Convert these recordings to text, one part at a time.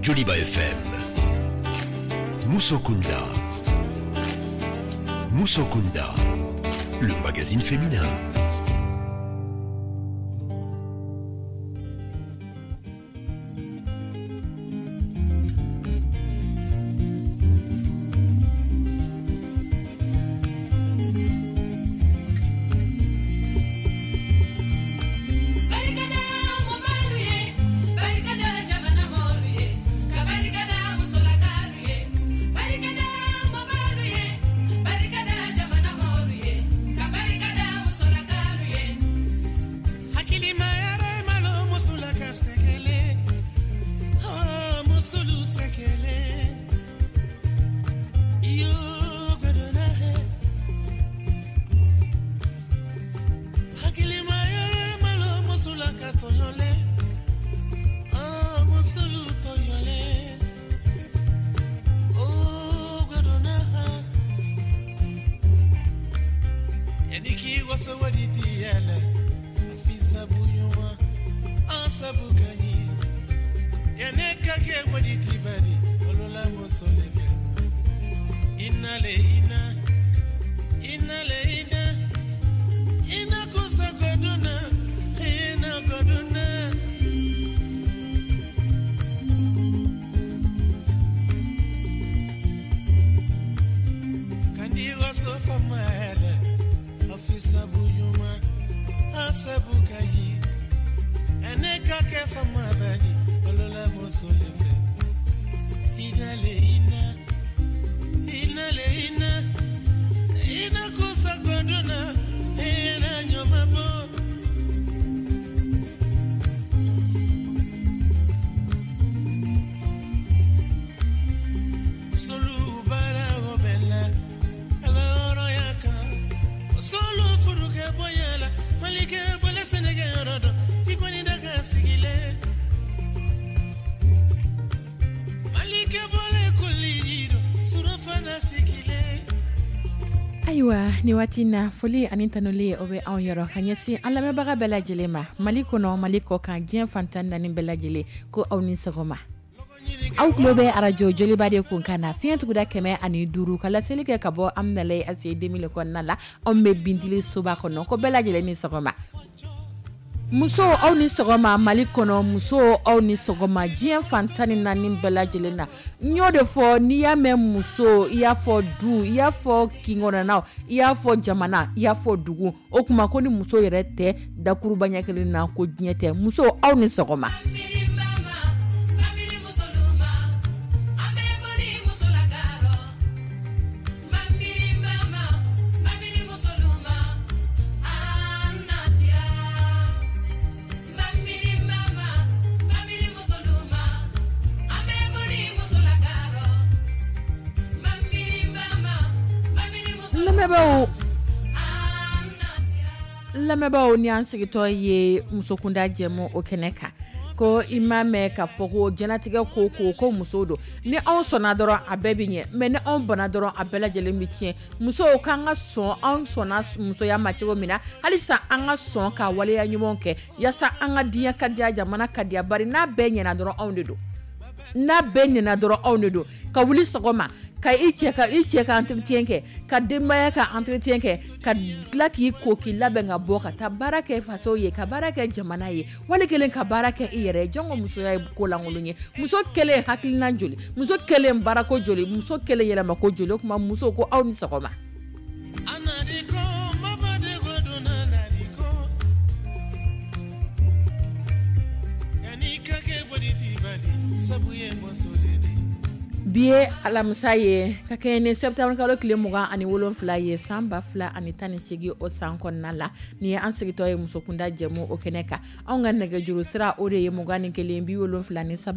Joliba FM. Musokunda. Musokunda, le magazine féminin. Ayiwa, ni waati na, foli ani tanuli, o bɛ anw yɔrɔ ka ɲɛsin an lamɛnbaga bɛɛ lajɛlen ma, Mali kɔnɔ, Mali kɔ kan, diɲɛ fantan naani bɛɛ lajɛlen, ko aw ni sɔgɔma. Aw tulo bɛ arajo Joliba de kun kan na, fiɲɛ tuguda 105, ka laseli kɛ ka bɔ Amudalayi ACI 2000 kɔnɔna la. Anw bɛ Bintili soba kɔnɔ. Ko bɛɛ lajɛlen ni sɔgɔma. Musow, aw ni sɔgɔma Mali kɔnɔ. Musow, aw ni sɔgɔma diɲɛ fan 14 bɛɛ lajɛlen na. N y'o de fɔ, n'i y'a mɛn muso, i y'a fɔ du, i y'a fɔ kinkɔnɔnaw, i y'a fɔ jamana, i y'a fɔ dugu. O tuma ko ni muso yɛrɛ tɛ dakuruba ɲɛ kelen na, ko diɲɛ tɛ. Muso, aw ni sɔgɔma. Lamɛnbaaw, ni an sigitɔ ye musokunda jɛmu o kɛnɛ kan, ko i m'a mɛn k'a fɔ ko jɛnatigɛ ko ko ko muso don. Ni anw sɔnna dɔrɔn, a bɛɛ bɛ ɲɛ, mais ni anw bana dɔrɔn, a bɛɛ lajɛlen bɛ tiɲɛ. Musow k'an ka sɔn, anw sɔnna musoya ma cogo min na, halisa an ka sɔn ka waleya ɲumanw kɛ yaasa an ka diɲɛ ka diya, jamana ka diya. Bari n'a bɛɛ ɲɛna dɔrɔn, anw de don. N'a bɛɛ ɲɛna dɔrɔn, anw de don. Ka wuli sɔgɔma ka i cɛ ka entretien kɛ, ka denbaya ka entretien kɛ, ka tila k'i ko, k'i labɛn ka bɔ ka taa baara kɛ faso ye, ka baara kɛ jamana ye, wali kelen ka baara kɛ i yɛrɛ ye. Jɔn ko musoya ye ko lankolon ye? Muso kelen hakilina joli, muso kelen baarako joli, muso kelen yɛlɛmako joli? O tuma muso, ko aw ni sɔgɔma. Bi ye alamisa ye, ka kɛ ni septembre kalo tile 27 ye, san 2018, o san kɔnɔna la. Ni ye an sigitɔ ye musokunda jɛmu o kɛnɛ kan. Anw ka nɛgɛjuru sira, o de ye 21 73 96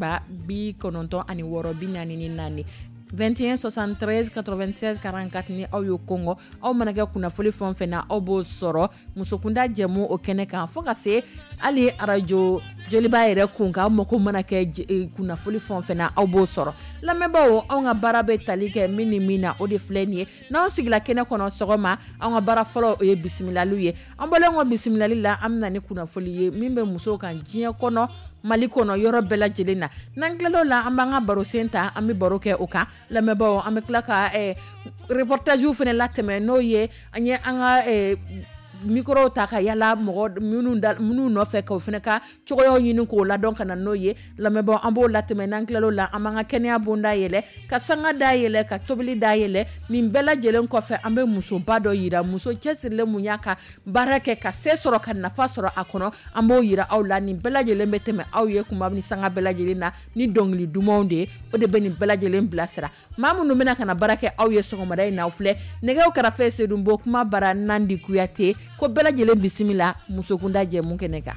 44, 21 73 96 44. Ni aw y'o kɔngɔ, aw mana kɛ kunnafoni fɛn o fɛn na, aw b'o sɔrɔ musokunda jɛmu o kɛnɛ kan, fo ka se hali arajo Joliba yɛrɛ kun kan, aw mako mana kɛ kunnafoni fɛn o fɛn na, aw b'o sɔrɔ. Lamɛnbaaw, anw ka baara bɛ tali kɛ min ni min na, o de filɛ nin ye. N'anw sigila kɛnɛ kɔnɔ sɔgɔma, anw ka baara fɔlɔ o ye bisimilaliw ye. An bɔlen kɔ bisimilali la, an bɛ na ni kunnafoni ye min bɛ musow kan diɲɛ kɔnɔ, Mali kɔnɔ, yɔrɔ bɛɛ lajɛlen na. N'an tilal'o la, an b'an ka barosen ta, an bɛ baro kɛ o kan. Lamɛnbaaw, an bɛ tila ka reportage fana latɛmɛ, n'o ye an ye an ka micro ta ka yala mɔgɔ minnu nɔfɛ, k'o fana ka cogoyaw ɲini k'o ladɔn ka na n'o ye. Lamɛnbaaw, an b'o latɛmɛ. N'an tilal'o la, an b'an ka kɛnɛya bonda yɛlɛ, ka sanga da yɛlɛ, ka tobili da yɛlɛ. Nin bɛɛ lajɛlen kɔfɛ, an bɛ musoba dɔ yira, muso cɛsirilen mun y'a ka baara kɛ ka se sɔrɔ, ka nafa sɔrɔ a kɔnɔ, an b'o yira aw la. Nin bɛɛ lajɛlen bɛ tɛmɛ aw ye kuma ni sanga bɛɛ lajɛlen na ni dɔnkili dumanw de ye. O de bɛ nin bɛɛ lajɛlen bilasira. Maa minnu bɛna ka na baara kɛ aw ye sɔgɔmada in na, aw filɛ nɛgɛw kɛrɛfɛ, Sedunbo kuma bara Nandi Kuyate. Ko bɛɛ lajɛlen bisimila musokunda jɛmu kɛnɛ kan.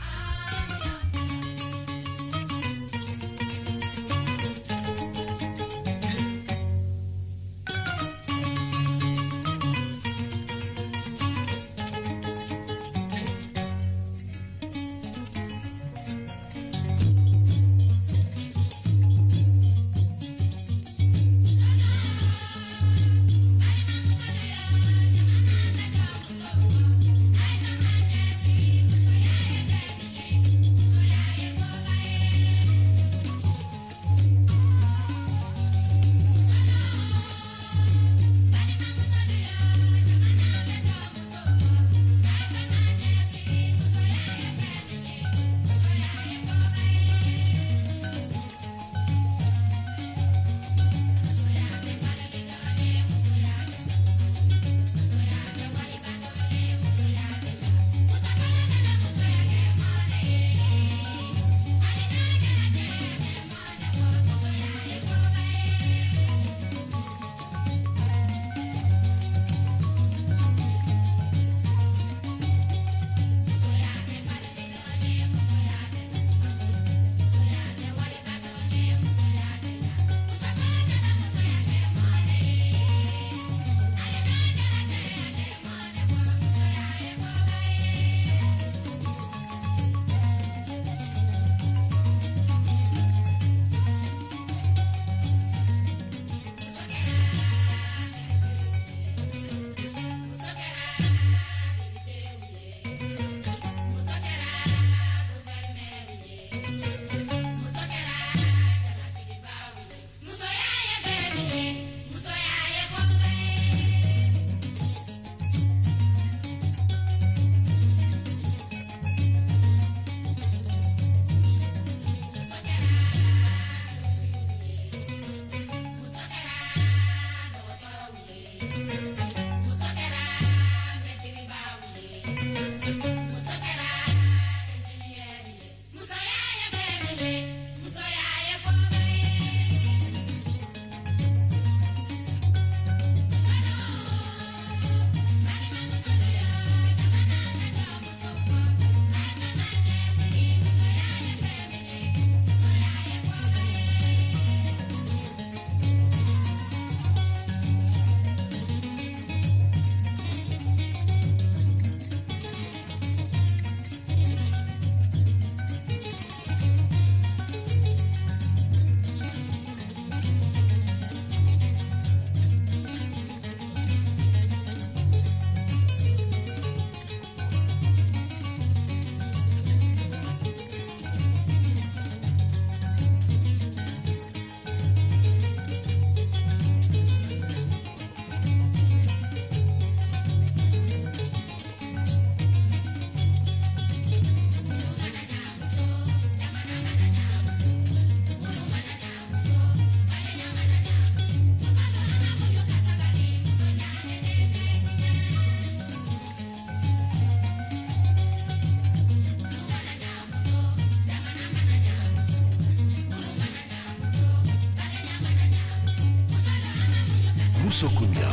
Musokunda.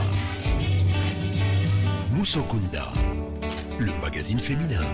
Musokunda, le magazine féminin.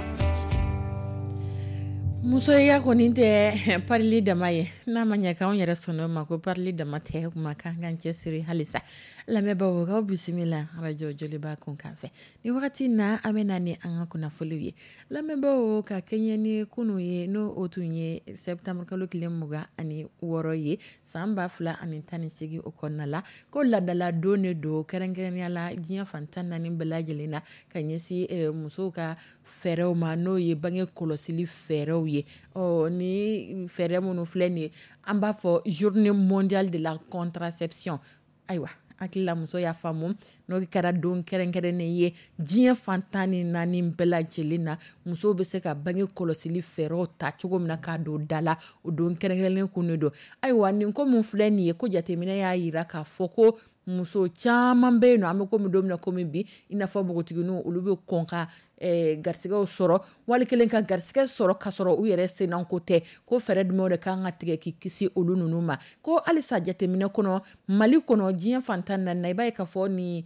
Musoya kɔni tɛ parili dama ye. N'a ma ɲɛ k'anw yɛrɛ sɔnna o ma ko parili dama tɛ, kuma kan k'an cɛsiri halisa. Lamɛnbaaw, k'aw bisimila arajo Joliba kunkan fɛ. Ni wagati na, an bɛ na ni an ka kunnafoliw ye, lamɛnbaaw. Ka kɛɲɛ ni kunun ye, n'o o tun ye septembre kalo tile 26 ye san 2018, o kɔnɔna la, ko laadala don de don, kɛrɛnkɛrɛnnenya la diɲɛ fan 14 bɛɛ lajɛlen na, ka ɲɛsin musow ka fɛɛrɛw ma, n'o ye bange kɔlɔsili fɛɛrɛw ye. Ɔ ni fɛɛrɛ minnu filɛ nin ye, an b'a fɔ Journée mondiale de la contraception. Ayiwa, hakilila muso y'a faamu, n'o kɛra don kɛrɛnkɛrɛnnen ye diɲɛ fan 14 bɛɛ lajɛlen na, musow bɛ se ka bange kɔlɔsili fɛɛrɛw ta cogo min na k'a don da la, o don kɛrɛnkɛrɛnnen kun de don. Ayiwa, nin ko min filɛ nin ye, ko jateminɛ y'a jira k'a fɔ ko muso caman bɛ yen nɔ, an bɛ komi don min na komi bi, i n'a fɔ npogotigininw, olu bɛ kɔn ka garisɛgɛw sɔrɔ, wali kelen ka garisɛgɛ sɔrɔ ka sɔrɔ u yɛrɛ senko tɛ. Ko fɛɛrɛ jumɛnw de kan ka tigɛ k'i kisi olu ninnu ma? Ko halisa jateminɛ kɔnɔ Mali kɔnɔ, diɲɛ fan 14 na, i b'a ye k'a fɔ nin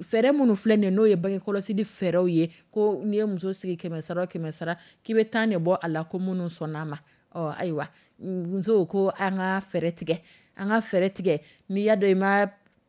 fɛɛrɛ minnu filɛ nin ye, n'o ye bange kɔlɔsili fɛɛrɛw ye, ko n'i ye muso sigi 100 sara o 100 sara, k'i bɛ 10 de bɔ a la ko minnu sɔnna a ma. Ɔ ayiwa, musow, ko an ka fɛɛrɛ tigɛ, an ka fɛɛrɛ tigɛ. N'i y'a dɔn i ma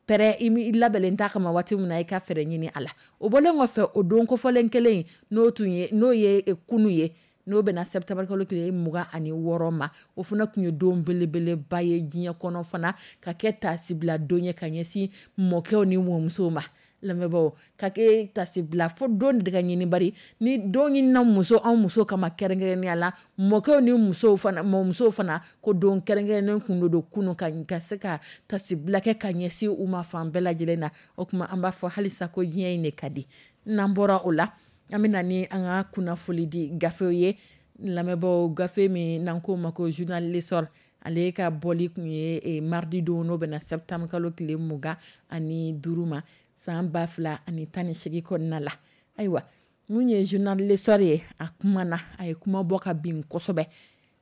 pɛrɛ, i labɛnnen t'a kama waati min na, i ka fɛɛrɛ ɲini a la. O bɔlen kɔfɛ, o don kofɔlen kelen in, n'o tun ye n'o ye kunun ye, n'o bɛna septembre kalo tile 26 ma, o fana tun ye don belebeleba ye diɲɛ kɔnɔ fana, ka kɛ tasibila don ye ka ɲɛsin mɔkɛw ni mɔmusow ma. Lamɛnbaaw, ka kɛ tasibila fo don de ka ɲini, bari ni don ɲinina muso, anw muso kama kɛrɛnkɛrɛnnenya la, mɔkɛw ni musow fana, mɔmusow fana, ko don kɛrɛnkɛrɛnnen kun don kunun ka se ka tasibila kɛ ka ɲɛsin u ma fan bɛɛ lajɛlen na. O tuma an b'a fɔ halisa ko diɲɛ in de ka di. N'an bɔra o la, an bɛ na ni an ka kunnafoli di gafew ye, lamɛnbaaw. Gafe min n'an k'o ma ko journal L'Essor, ale ka bɔli tun ye mardi don, n'o bɛna septembre kalo tile 25 ma san 2018 kɔnɔna la. Ayiwa, mun ye journal L'Essor ye, a kuma na, a ye kuma bɔ ka bin kosɛbɛ.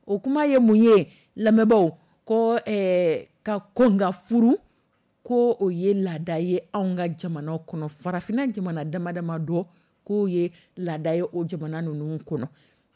O kuma ye mun ye, lamɛnbaaw? Ko ka kɔn ka furu, ko o ye laada ye anw ka jamana kɔnɔ, farafinna jamana dama dama dɔ, k'o ye laada ye o jamana ninnu kɔnɔ.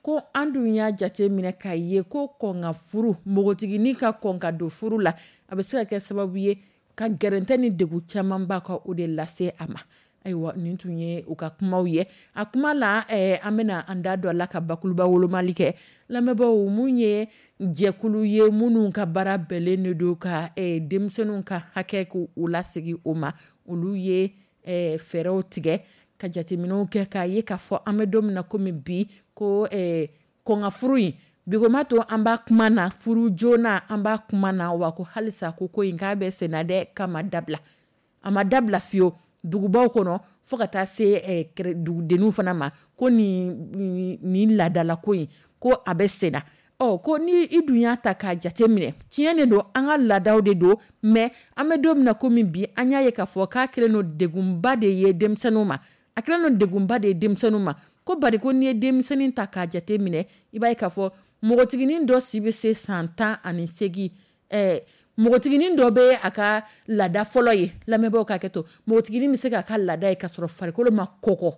Ko an dun y'a jate minɛ k'a ye ko kɔn ka furu, npogotiginin ka kɔn ka don furu la, a bɛ se ka kɛ sababu ye ka gɛrɛntɛ ni degun camanba ka o de lase a ma. Ayiwa, nin tun ye u ka kumaw ye. A kuma la, an bɛna an da don a la ka bakuruba wolomali kɛ, lamɛnbaaw. Mun ye jɛkulu ye minnu ka baara bɛnnen de don ka denmisɛnninw ka hakɛ k'u lasegin o ma, olu ye fɛɛrɛw tigɛ ka jateminɛw kɛ k'a ye k'a fɔ an bɛ don min na komi bi, ko kɔn ka furu in bi ko ma to an b'a kuma na, furu joona an b'a kuma na wa, ko halisa ko in k'a bɛ senna dɛ, k'a ma dabila, a ma dabila fiyewu dugubaw kɔnɔ fo ka taa se dugudenninw fana ma, ko nin laadalako in, ko a bɛ senna. Ɔ ko ni i dun y'a ta k'a jate minɛ, tiɲɛ de don, an ka laadaw de don, mais an bɛ don min na komi bi, an y'a ye k'a fɔ k'a kɛlen don degunba de ye denmisɛnninw ma, a kɛlen don degunba de ye denmisɛnninw ma. Ko bari ko n'i ye denmisɛnnin ta k'a jate minɛ, i b'a ye k'a fɔ npogotiginin dɔ si bɛ se san 18, npogotiginin dɔ bɛ a ka laada fɔlɔ ye. Lamɛnbaaw ka hakɛ to, npogotiginin bɛ se k'a ka laada ye ka sɔrɔ farikolo ma kɔgɔ.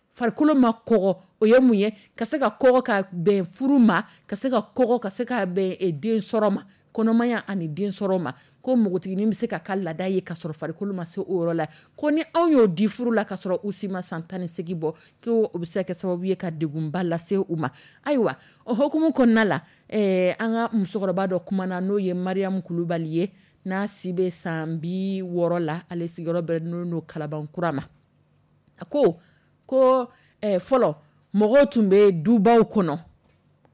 Farikolo ma kɔgɔ, o ye mun ye? Ka se ka kɔgɔ ka bɛn furu ma, ka se ka kɔgɔ ka se ka bɛn den sɔrɔ ma, kɔnɔmaya ani den sɔrɔ ma. Ko npogotiginin bɛ se ka ka laada ye ka sɔrɔ farikolo ma se o yɔrɔ la. Ko ni anw y'o di furu la ka sɔrɔ u si ma san 18 bɔ, ko o bɛ se ka kɛ sababu ye ka degunba lase u ma. Ayiwa, o hukumu kɔnɔna la, an ka musokɔrɔba dɔ kumana, n'o ye Mariam Kulubali ye, n'a si bɛ san 60 la, ale sigiyɔrɔ bɛnnen don Kalabankura ma. A ko ko fɔlɔ mɔgɔw tun bɛ dubaw kɔnɔ,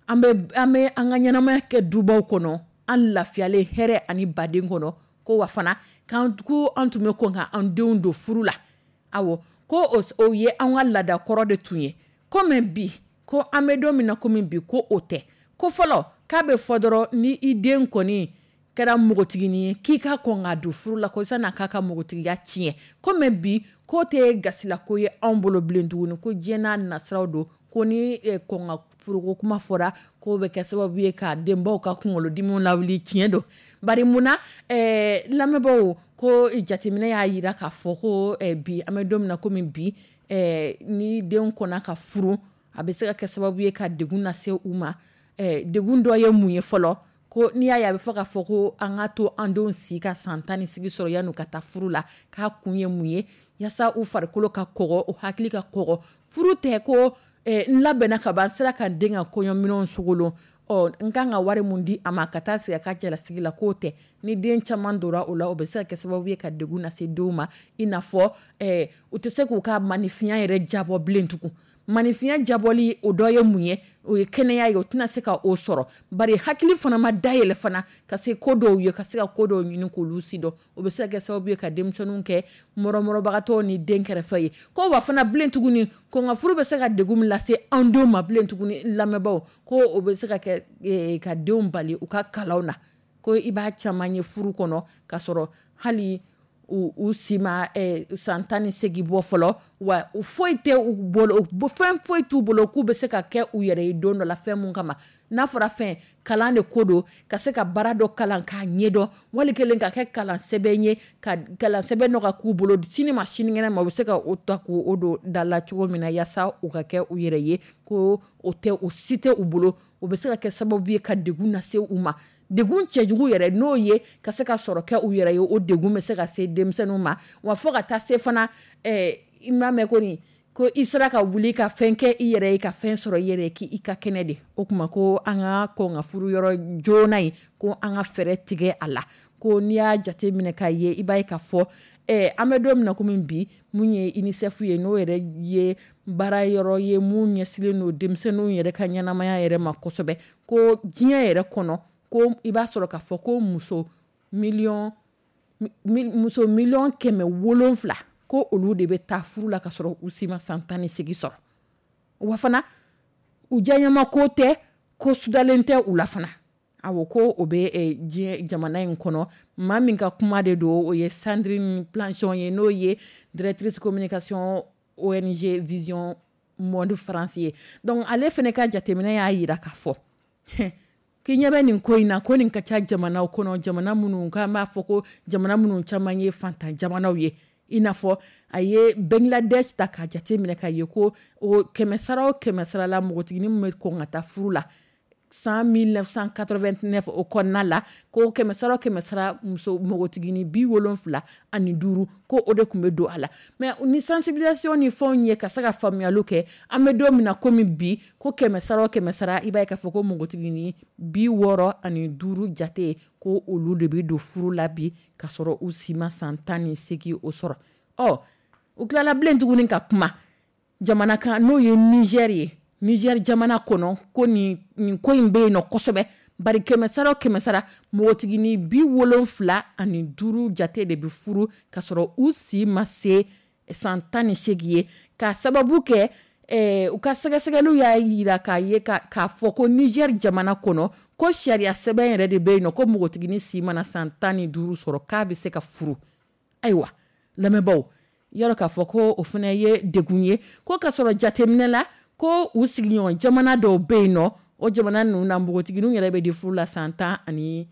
an bɛ an ka ɲɛnamaya kɛ dubaw kɔnɔ, an lafiyalen hɛrɛ ani baden kɔnɔ. Ko wa fana ko an tun bɛ kɔn ka an denw don furu la. Awɔ, ko o ye an ka laada kɔrɔ de tun ye. Ko mais bi, ko an bɛ don min na komi bi, ko o tɛ. Ko fɔlɔ, k'a bɛ fɔ dɔrɔn ni i den kɔni kɛra npogotiginin ye, k'i ka kɔn k'a don furu la, ko san'a k'a ka npogotigiya tiɲɛ. Ko mais bi, k'o tɛ gasilako ye anw bolo bilen tuguni, ko diɲɛ n'a nasiraw don, ko ni kɔn ka furuko kuma fɔra, k'o bɛ kɛ sababu ye ka denbaw ka kunkolodimiw lawuli. Tiɲɛ don, bari munna, lamɛnbaaw? Ko jateminɛ y'a jira k'a fɔ ko bi, an bɛ don min na komi bi, ni denw kɔnna ka furu, a bɛ se ka kɛ sababu ye ka degun lase u ma. Degun dɔ ye mun ye fɔlɔ? Ko n'i y'a ye a bɛ fɔ k'a fɔ ko an ka to an denw si ka san 18 sɔrɔ yan'u ka taa furu la, k'a kun ye mun ye? Yaasa u farikolo ka kɔgɔ, u hakili ka kɔgɔ. Furu tɛ ko n labɛnna ka ban, n sera ka n den ka kɔɲɔminɛnw sogolon, ɔ n kan ka wari mun di a ma ka taa sigi a ka cɛlasigi la, k'o tɛ. Ni den caman donna o la, o bɛ se ka kɛ sababu ye ka degun lase denw ma, i n'a fɔ u tɛ se k'u ka maanifinya yɛrɛ jabɔ bilen tugun. Maanifinya jabɔli, o dɔ ye mun ye? O ye kɛnɛya ye, o tɛna se ka o sɔrɔ, bari hakili fana ma dayɛlɛ fana ka se ko dɔw ye, ka se ka ko dɔw ɲini k'olu si dɔn. O bɛ se ka kɛ sababu ye ka denmisɛnninw kɛ mɔrɔmɔrɔbagatɔw ni den kɛrɛfɛ ye. Ko wa fana bilen tuguni, ko nka furu bɛ se ka degun min lase an denw ma bilen tuguni, lamɛnbaaw, ko o bɛ se ka kɛ ka denw bali u ka kalanw na. Ko i b'a caman ye furu kɔnɔ k'a sɔrɔ hali u si ma san 18 bɔ fɔlɔ, wa foyi tɛ u bolo, fɛn foyi t'u bolo k'u bɛ se ka kɛ u yɛrɛ ye don dɔ la fɛn mun kama. N'a fɔra fɛn, kalan de ko don, ka se ka baara dɔ kalan k'a ɲɛdɔn, wali kelen ka kɛ kalan sɛbɛn ye, ka kalan sɛbɛn dɔ ka k'u bolo sini ma sinikɛnɛ ma, u bɛ se ka o ta k'o don da la cogo min na, yaasa u ka kɛ u yɛrɛ ye. Ko o tɛ, o si tɛ u bolo. O bɛ se ka kɛ sababu ye ka degun lase u ma, degun cɛjugu yɛrɛ, n'o ye ka se ka sɔrɔ kɛ u yɛrɛ ye. O degun bɛ se ka se denmisɛnninw ma, wa fo ka taa se fana, i m'a mɛn ko nin ko i sera ka wuli ka fɛn kɛ i yɛrɛ ye, ka fɛn sɔrɔ i yɛrɛ ye, k'i ka kɛnɛ de. O tuma ko an ka kɔn ka furu yɔrɔ joona in, ko an ka fɛɛrɛ tigɛ a la. Ko n'i y'a jate minɛ k'a ye, i b'a ye k'a fɔ an bɛ don min na komi bi, mun ye UNICEF ye, n'o yɛrɛ ye baara yɔrɔ ye mun ɲɛsinnen don denmisɛnninw yɛrɛ ka ɲɛnamaya yɛrɛ ma kosɛbɛ, ko diɲɛ yɛrɛ kɔnɔ, ko i b'a sɔrɔ k'a fɔ ko muso 700,000,000 ko olu de bɛ taa furu la ka sɔrɔ u si ma san 18 sɔrɔ. Wa fana u diyaɲɛma ko tɛ, ko sudalen tɛ u la fana. Awɔ, ko o bɛ diɲɛ jamana in kɔnɔ. Maa min ka kuma de don, o ye Sandrine Planchon ye, n'o ye directrice communication ONG Vision Monde France ye. Donc ale fana ka jateminɛ y'a jira k'a fɔ k'i ɲɛ bɛ nin ko in na, ko nin ka ca jamanaw kɔnɔ, jamana minnu k'an b'a fɔ ko jamana minnu caman ye fantan jamanaw ye. I n'a fɔ a ye Bangladesh ta k'a jate minɛ k'a ye ko o 100 o 100 la, npogotiginin min bɛ kɔn ka taa furu la san 1989 o kɔnɔna la, ko 100 o 100 muso npogotiginin 75, ko o de tun bɛ don a la. Mais ni sensibilisation ni fɛnw ye ka se ka faamuyaliw kɛ, an bɛ don min na komi bi, ko 100 o 100, i b'a ye k'a fɔ ko npogotiginin 65 jate, ko olu de bɛ don furu la bi ka sɔrɔ u si ma san 18 o sɔrɔ. Ɔ, u tilala bilen tuguni ka kuma jamana kan, n'o ye Niger ye. Niger jamana kɔnɔ, ko nin ko in bɛ yen nɔ kosɛbɛ, bari 100 o 100, npogotiginin 75 jate de bɛ furu ka sɔrɔ u si ma se san 18 ye, k'a sababu kɛ u ka sɛgɛsɛgɛliw y'a jira k'a ye k'a fɔ ko Niger jamana kɔnɔ, ko sariya sɛbɛn yɛrɛ de bɛ yen nɔ, ko npogotiginin si mana san 15 sɔrɔ, k'a bɛ se ka furu. Ayiwa lamɛnbaaw, yɔrɔ k'a fɔ ko o fana ye degun ye, ko ka sɔrɔ jateminɛ la, ko u sigiɲɔgɔn jamana dɔw bɛ yen nɔ, o jamana ninnu na, npogotigininw yɛrɛ bɛ di furu la san 12.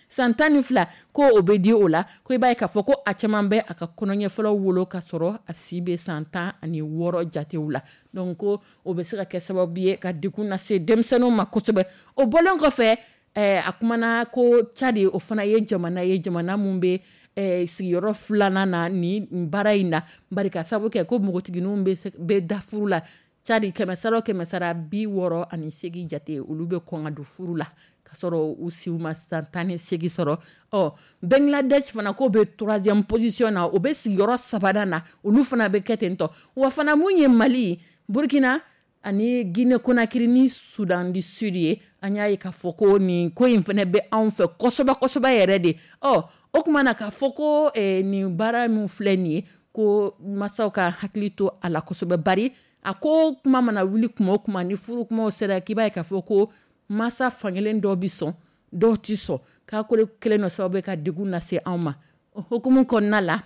San 12, ko o bɛ di o la. Ko i b'a ye k'a fɔ ko a caman bɛ a ka kɔnɔɲɛ fɔlɔ wolo ka sɔrɔ a si bɛ san 16 jatew la. Donc ko o bɛ se ka kɛ sababu ye ka degun lase denmisɛnninw ma kosɛbɛ. O bɔlen kɔfɛ, a kumana ko Tchad, o fana ye jamana ye, jamana mun bɛ sigiyɔrɔ filanan na nin baara in na, bari ka sababu kɛ ko npogotigininw bɛ da furu la Tchad, 100 o 100, 68 jate, olu bɛ kɔn ka don furu la ka sɔrɔ u siw ma san 18 sɔrɔ. Ɔ, Bangladesh fana, k'o bɛ troisième position na, o bɛ sigiyɔrɔ sabanan na, olu fana bɛ kɛ ten tɔ. Wa fana mun ye Mali, Burkina ani Guinée Conakry ni Soudan du Sud ye, an y'a ye k'a fɔ ko nin ko in fana bɛ anw fɛ kosɛbɛ kosɛbɛ yɛrɛ de. Ɔ, o tuma na k'a fɔ ko nin baara min filɛ nin ye, ko masaw ka hakili to a la kosɛbɛ, bari a ko kuma mana wuli kuma o kuma ni furu kumaw sera, k'i b'a ye k'a fɔ ko masa fankelen dɔw bɛ sɔn, dɔw tɛ sɔn, k'a ko kelen dɔ sababu bɛ ka degun lase anw ma. O hukumu kɔnɔna la,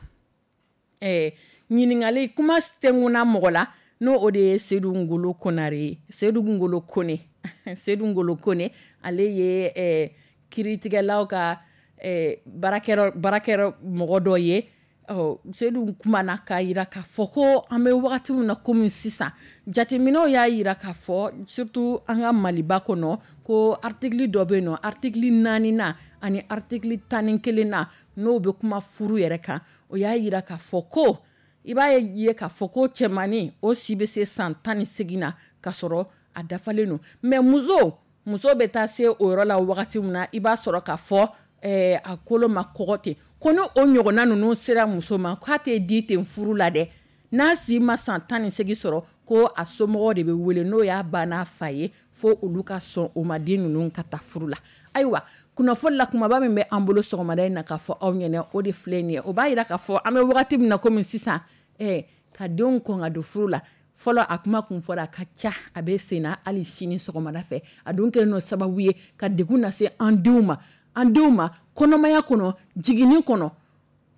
ɲininkali kuma tɛnkunna mɔgɔ la, n'o o de ye Seydou Ngolo Konare ye. Seydou Ngolo Kone, Seydou Ngolo Kone, ale ye kiiritigɛlaw ka baarakɛyɔrɔ mɔgɔ dɔ ye. Ɔ, Sedu kumana k'a jira k'a fɔ ko an bɛ wagati min na komi sisan, jateminɛw y'a jira k'a fɔ, surtout an ka Maliba kɔnɔ, ko article dɔ bɛ yen nɔ, article 4nan ani article 11nan, n'o bɛ kuma furu yɛrɛ kan, o y'a jira k'a fɔ ko i b'a ye k'a fɔ ko cɛmannin, o si bɛ se san 18 na k'a sɔrɔ a dafalen don, mais muso bɛ taa se o yɔrɔ la wagati min na, i b'a sɔrɔ k'a fɔ a kolo ma kɔgɔ ten. Ko ni o ɲɔgɔnna ninnu sera muso ma, k'a tɛ di ten furu la dɛ. N'a si ma san 18 sɔrɔ, ko a somɔgɔw de bɛ wele, n'o y'a ba n'a fa ye, fo olu ka sɔn o ma, den ninnu ka taa furu la. Ayiwa, kunnafoni la kumaba min bɛ an bolo sɔgɔmada in na k'a fɔ aw ɲɛna, o de filɛ nin ye. O b'a jira k'a fɔ an bɛ wagati min na komi sisan, ka denw kɔn ka don furu la, fɔlɔ a kuma kun fɔra, a ka ca, a bɛ sen na hali sini sɔgɔmada fɛ. A dun kɛlen n'o sababu ye ka degun lase an denw ma kɔnɔmaya kɔnɔ, jiginni kɔnɔ,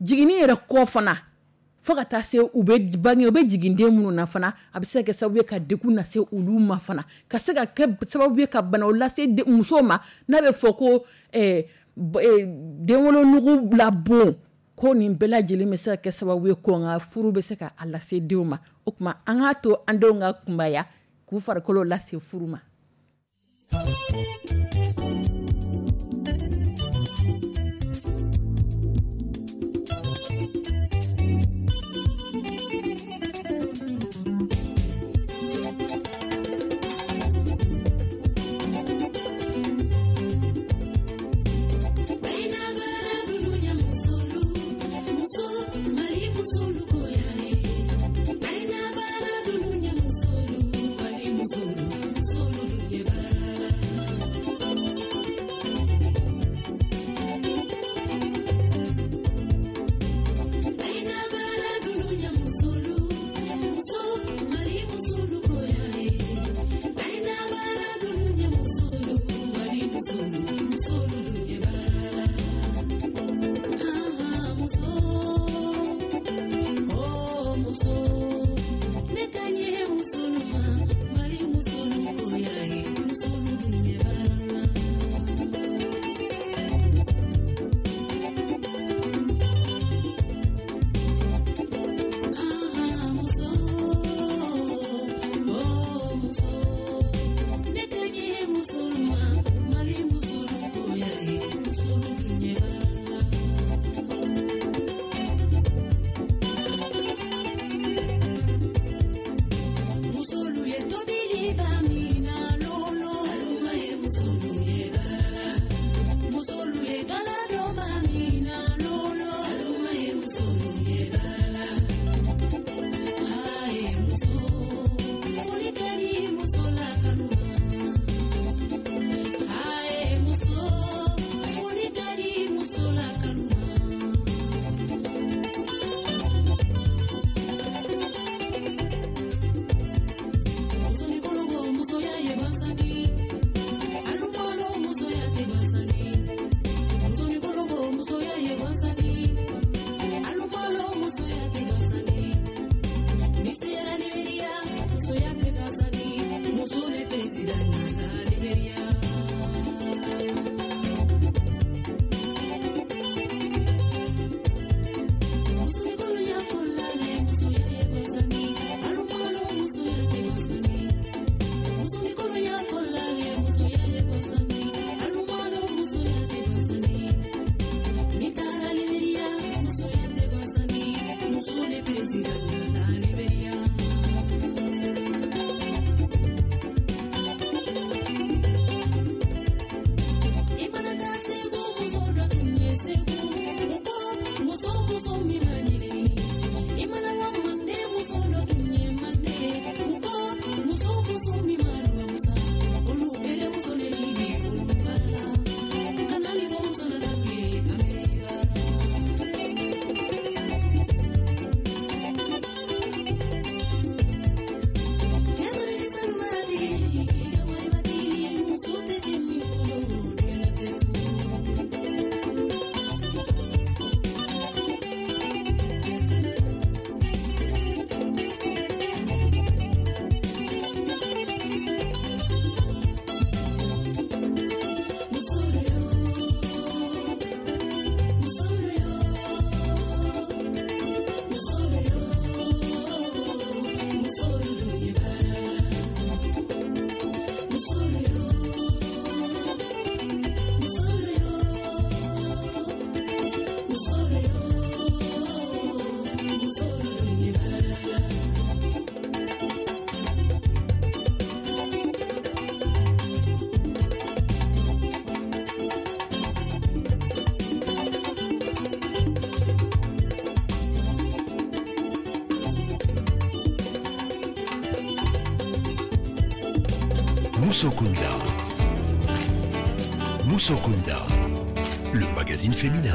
jiginni yɛrɛ kɔ fana, fo ka taa se u bɛ bange, u bɛ jigin den minnu na fana, a bɛ se ka kɛ sababu ye ka degun lase olu ma fana, ka se ka kɛ sababu ye ka banaw lase musow ma, n'a bɛ fɔ ko denwolonugu la bon. Ko nin bɛɛ lajɛlen bɛ se ka kɛ sababu ye ko nka furu bɛ se ka a lase denw ma. O tuma, an k'a to an denw ka kunbaya k'u farikolo lase furu ma. Musokunda. Musokunda, le magazine féminin.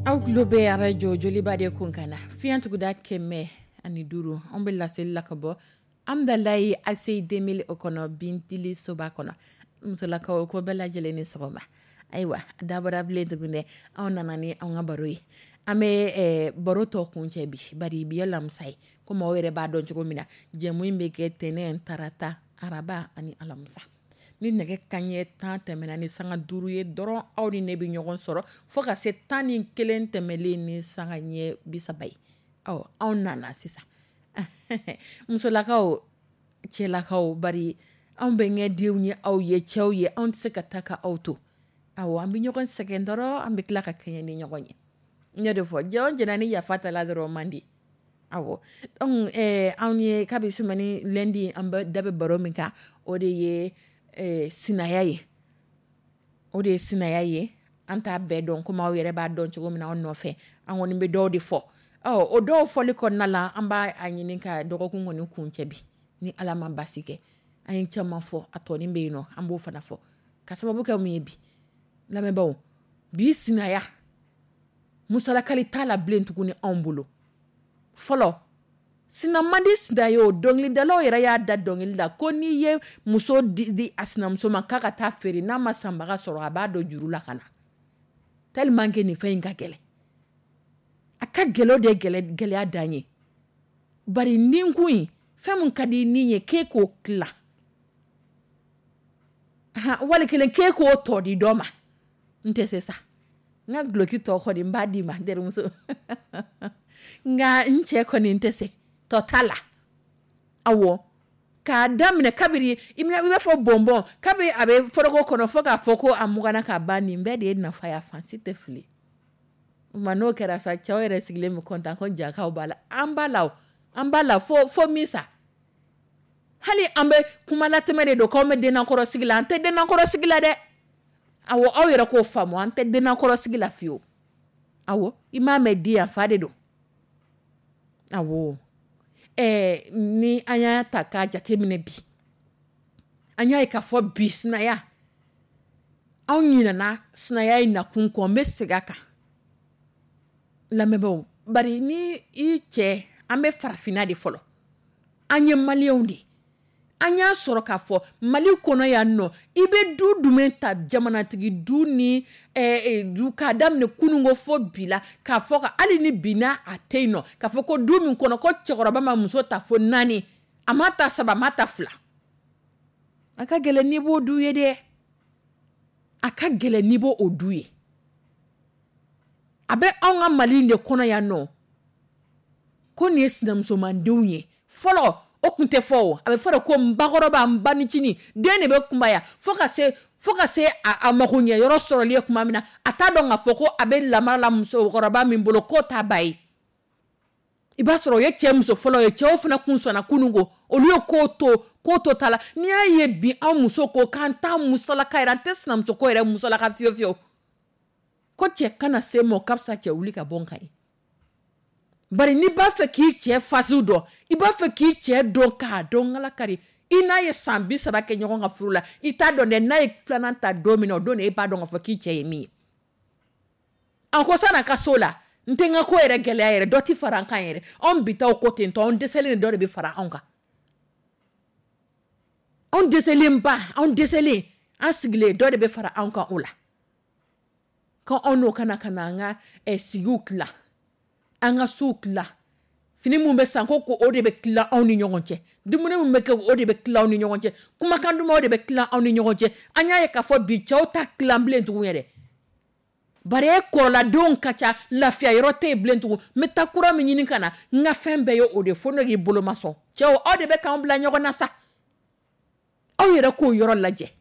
Aw tulo bɛ arajo Joliba de kun kan na, fiɲɛ tuguda 105. An bɛ laseli la ka bɔ Amdalayi ACI 2000 o kɔnɔ, Bintili soba kɔnɔ. Musolakaw, ko bɛɛ lajɛlen ni sɔgɔma. Ayiwa, dabɔra bilen tuguni, anw nana ni an ka baro ye. An bɛ baro tɔ kun cɛ bi, bari bi ye lamisa ye. Komi aw yɛrɛ b'a dɔn cogo min na, jɛmu in bɛ kɛ tɛnɛn, tarata, araba ani alamisa. Ni nɛgɛ kanɲɛ 10 tɛmɛna ni sanga 5 ye dɔrɔn, aw ni ne bɛ ɲɔgɔn sɔrɔ fo ka se 11 tɛmɛlen ni sanga ɲɛ 30 ye. Ɔ, anw nana sisan, musolakaw, cɛlakaw, bari anw bɛ ɲɛdenw ye, aw ye cɛw ye, anw tɛ se ka taa ka aw to. Awɔ, an bɛ ɲɔgɔn sɛgɛn dɔrɔn, an bɛ tila ka kɛɲɛ ni ɲɔgɔn ye. N y'o de fɔ, jɛ o jɛna ni yafa ta la dɔrɔn man di. Awɔ, donc anw ye kabi semaine lundi, an bɛ da bɛ baro min kan, o de ye sinaya ye. O de ye sinaya ye. An t'a bɛɛ dɔn komi aw yɛrɛ b'a dɔn cogo min na anw nɔfɛ. An kɔni bɛ dɔw de fɔ. Ɔ, o dɔw fɔli kɔnɔna la, an b'a ɲini ka dɔgɔkun kɔni kun cɛ bi, ni Ala ma basi kɛ. An ye caman fɔ, a tɔnin bɛ yen nɔ, an b'o fana fɔ ka sababu kɛ mun ye. Bi lamɛnbaaw, bi sinaya musalakali t'a la bilen tuguni anw bolo. Fɔlɔ, sina man di sina ye. O dɔnkilidalaw yɛrɛ y'a da dɔnkili la ko n'i ye muso di a sinamuso ma k'a ka taa feere, n'a ma sanbaga sɔrɔ, a b'a dɔn juru la ka na, tellement que nin fɛn in ka gɛlɛn. A ka gɛlɛn, o de ye gɛlɛya dan ye. Bari ninkun in, fɛn min ka di ni ye k'e k'o tila, wali kelen k'e k'o tɔ di dɔ ma, n tɛ se sa. N ka duloki tɔ kɔni, n b'a d'i ma, n terimuso, nka n cɛ kɔni, n tɛ se tɔ t'a la. Awɔ, k'a daminɛ kabiri i b'a fɔ bɔnbɔn, kabi a bɛ foroko kɔnɔ fo k'a fɔ ko a mugana ka ban, nin bɛɛ de ye nafa ye, a fan si tɛ fili ma. N'o kɛra sa, cɛw yɛrɛ sigilen bɛ kɔntan ko jakaw b'a la. An b'a la, an b'a la fo min sa. Hali an bɛ kumalatɛmɛ de don k'anw bɛ dennakɔrɔ sigi la. An tɛ dennakɔrɔ sigi la dɛ. Awɔ, aw yɛrɛ k'o faamu, an tɛ dennakɔrɔ sigi la fiyewu. Awɔ, i m'a mɛn di yan, fa de don. Awɔ, ni an y'a ta k'a jateminɛ bi, an y'a ye k'a fɔ bi sinaya, anw ɲinɛna sinaya in nakun kɔ. N bɛ segin a kan, lamɛnbaaw, bari ni i cɛ, an bɛ farafinna de fɔlɔ, an ye maliyɛnw de ye. An y'a sɔrɔ k'a fɔ Mali kɔnɔ yan nɔ, i bɛ du jumɛn ta, jamanatigi du ni du, k'a daminɛ kununko fo bi la, k'a fɔ ka hali ni bi n'a a tɛ yen nɔ, k'a fɔ ko du min kɔnɔ ko cɛkɔrɔba ma muso ta fo naani, a ma ta saba, a ma ta fila, a ka gɛlɛn n'i b'o du ye dɛ. A ka gɛlɛn n'i b'o o du ye. A bɛ anw ka Mali in de kɔnɔ yan nɔ ko nin ye sinamusomandenw ye. Fɔlɔ, o tun tɛ fɔ. O a bɛ fɔ de ko n bakɔrɔba, n banicinin den de bɛ kunbaya fo ka se a mago ɲɛ yɔrɔ sɔrɔli ye tuma min na, a t'a dɔn k'a fɔ ko a bɛ lamara la musokɔrɔba min bolo, k'o t'a ba ye. I b'a sɔrɔ o ye cɛ muso fɔlɔ ye. Cɛw fana kun sɔnna kunun ko olu ye k'o to ta la. N'i y'a ye bi, anw muso ko k'an t'a musalaka yɛrɛ, an tɛ sinamuso ko yɛrɛ musalaka fiyewu fiyewu, ko cɛ kana se ma, o ka fisa cɛ wuli ka bɔ n kan ye. Bari n'i b'a fɛ k'i cɛ fasiw dɔn, i b'a fɛ k'i cɛ dɔn k'a dɔn nkalakari, i n'a ye san 30 kɛ ɲɔgɔn ka furu la, i t'a dɔn dɛ. N'a ye filanan ta don min na, o don de e b'a dɔn k'a fɔ k'i cɛ ye min ye. A ko san'a ka so la, n tɛ n ka ko yɛrɛ gɛlɛya yɛrɛ, dɔ tɛ fara an kan yɛrɛ. Anw bi taa ko ten tɔ, anw dɛsɛlen, dɔ de bɛ fara anw kan. Anw dɛsɛlen ba, anw dɛsɛlen, an sigilen, dɔ de bɛ fara anw kan. O la ko anw n'o kana ka na an ka sigiw tila, an ka sow tila, fini mun bɛ san ko o de bɛ tila anw ni ɲɔgɔn cɛ, dumuni mun bɛ kɛ, o de bɛ tila anw ni ɲɔgɔn cɛ, kumakan duman, o de bɛ tila anw ni ɲɔgɔn cɛ. An y'a ye k'a fɔ bi cɛw ta tilan bilen tugun yɛrɛ. Bari e kɔrɔladenw ka ca, lafiya yɔrɔ tɛ yen bilen tugun. N bɛ taa kura min ɲini ka na, n ka fɛn bɛɛ ye o de fo ne k'i bolo ma sɔn. Cɛw, aw de bɛ k'anw bila ɲɔgɔn na sa. Aw yɛrɛ k'o yɔrɔ lajɛ.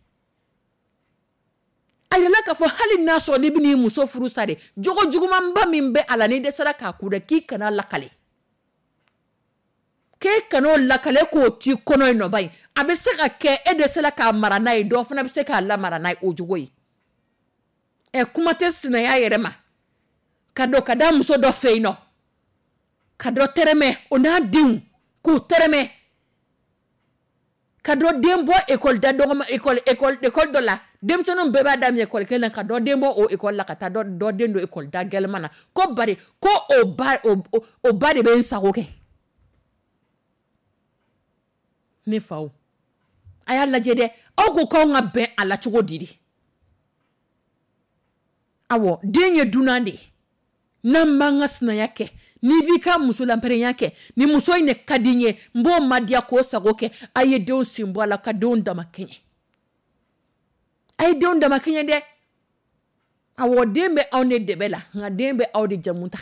A yirala k'a fɔ hali n'a sɔrɔ n'i bɛn'i muso furu sa de, jogo jugumanba min bɛ a la, n'i dɛsɛra k'a kun dɛ, k'i kana lakale, k'e kan'o lakale, k'o t'i kɔnɔ yen nɔ. Ba in, a bɛ se ka kɛ e dɛsɛra k'a mara n'a ye, dɔ fana bɛ se k'a lamara n'a ye o jogo ye. Ɛ, kuma tɛ sinaya yɛrɛ ma, ka don ka da muso dɔ fɛ yen nɔ, ka dɔ tɛrɛmɛ, o n'a denw k'o tɛrɛmɛ. Ka dɔ den bɔ école da dɔgɔma, école dɔ la, denmisɛnninw bɛɛ b'a daminɛ école kelen na, ka dɔ den bɔ o école la ka taa dɔ den don école da gɛlɛman na, ko bari ko o ba de bɛ n sago kɛ. Ne faw, a y'a lajɛ dɛ. Aw ko k'anw ka bɛn a la cogo di de? Awɔ, den ye dunan de ye. N'an b'an ka sinaya kɛ, n'i b'i ka muso lanpɛrɛnya kɛ, ni muso in de ka di n ye, n b'o madiya k'o sago kɛ. A ye denw sen bɔ a la ka denw dama kɛɲɛ. A ye denw dama kɛɲɛ dɛ. Awɔ, den bɛ anw de dɛbɛ la, nka den bɛ aw de jamu ta.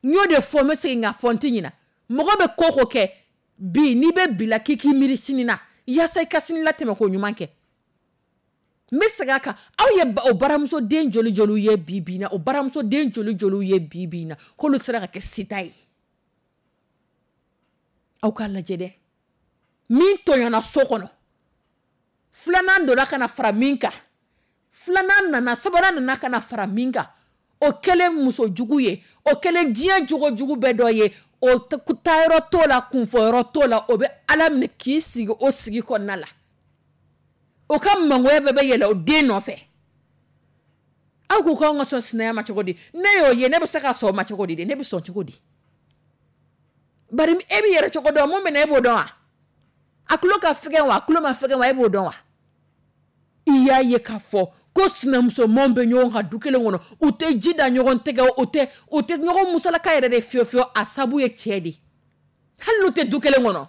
N y'o de fɔ, n bɛ segin k'a fɔ, n tɛ ɲinɛ. Mɔgɔ bɛ ko ko kɛ bi, n'i bɛ bi la, k'i k'i miiri sini na yaasa i ka sini latɛmɛ ko ɲuman kɛ. N bɛ segin a kan. Aw ye o baramuso den joli joliw ye bi bi in na, o baramuso den joli joliw ye bi bi in na k'olu sera ka kɛ sita ye? Aw k'a lajɛ dɛ. Min tɔɲɔna so kɔnɔ, filanan donna ka na fara min kan, filanan nana, sabanan nana ka na fara min kan, o kɛlen muso jugu ye, o kɛlen diɲɛ jogo jugu bɛɛ dɔ ye, o taayɔrɔ t'o la, kunfɔyɔrɔ t'o la, o bɛ Ala minɛ k'i sigi o sigi kɔnɔna la. O ka mangoya bɛɛ bɛ yɛlɛ o den nɔfɛ. Aw ko k'anw ka sɔn sinaya ma cogo di? Ne y'o ye, ne bɛ se ka sɔn o ma cogo di de? Ne bɛ sɔn cogo di? Bari e b'i yɛrɛ cogo dɔn, mun bɛ na, e b'o dɔn wa? A tulo ka fɛgɛn wa, a tulo ma fɛgɛn wa, e b'o dɔn wa? I y'a ye k'a fɔ ko sinamusomanw bɛ ɲɔgɔn kan du kelen kɔnɔ, u tɛ ji da ɲɔgɔn tɛgɛ, u tɛ ɲɔgɔn musalaka yɛrɛ de fiyewu fiyewu. A sabu ye cɛ de ye. Hali n'u tɛ du kelen kɔnɔ,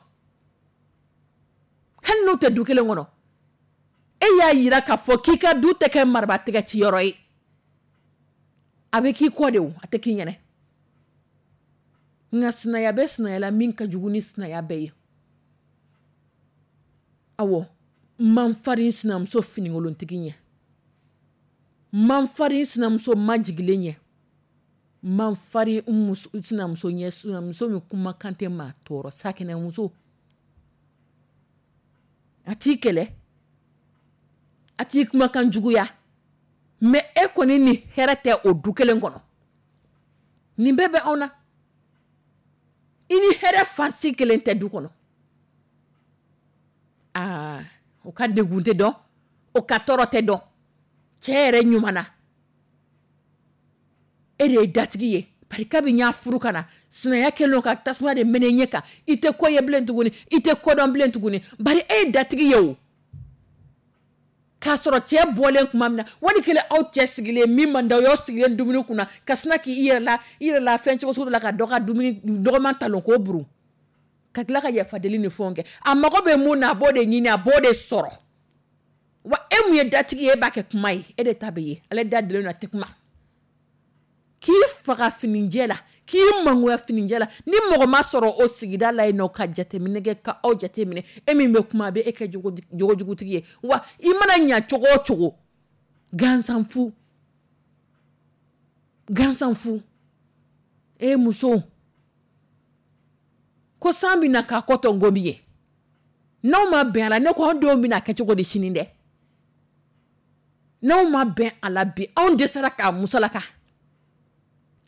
hali n'u tɛ du kelen kɔnɔ, e y'a yira k'a fɔ k'i ka du tɛ kɛ maraba tɛgɛ ciyɔrɔ ye. A bɛ k'i kɔ de, o a tɛ k'i ɲɛnɛ. Nka sinaya bɛ sinaya la, min ka jugu ni sinaya bɛɛ ye, awɔ, man farin sinamuso finikolontigi ɲɛ, man farin sinamuso majigilen ɲɛ, man farin sinamuso ɲɛ, sinamuso min kumakan tɛ maa tɔɔrɔ, sakɛnɛmuso. A t'i kɛlɛ, a t'i kumakan juguya, mais e kɔni ni hɛrɛ tɛ o du kelen kɔnɔ. Nin bɛɛ bɛ anw na. I ni hɛrɛ fansi kelen tɛ du kɔnɔ. Aa, o ka degun tɛ dɔn, o ka tɔɔrɔ tɛ dɔn. Cɛ yɛrɛ ɲuman na, e de ye datigi ye. Bari kabi n y'a furu ka na, sinaya kɛlen don ka tasuma de mɛnɛ ɲɛ kan. I tɛ ko ye bilen tuguni, i tɛ kodɔn bilen tuguni, bari e ye datigi ye. O k'a sɔrɔ cɛ bɔlen tuma min na, wali kelen aw cɛ sigilen, min man d'aw ye, aw sigilen dumuni kunna, ka sina k'i yɛrɛ la fɛn cogo sugu dɔ la, ka dɔ ka dumuni dɔgɔman talon k'o burun, ka tila ka yafa deli ni fɛnw kɛ. A mago bɛ mun na, a b'o de ɲini, a b'o de sɔrɔ. Wa e mun ye datigi ye, e b'a kɛ kuma ye, e de ta bɛ ye. Ale da delen don, a tɛ kuma. K'i faga finijɛ la, k'i mangoya finijɛ la, ni mɔgɔ ma sɔrɔ o sigida la yen nɔ ka jateminɛ kɛ, ka aw jateminɛ, e min bɛ kuma, a bɛ e kɛ jogojugutigi ye. Wa i mana ɲa cogo o cogo, gansan fu, gansan fu. E muso ko san bɛ na k'a kɔ tɔ nkomi ye, n'aw ma bɛn a la, ne ko anw denw bɛna kɛ cogo di sini dɛ? N'aw ma bɛn a la bi, anw dɛsɛra k'a musalaka,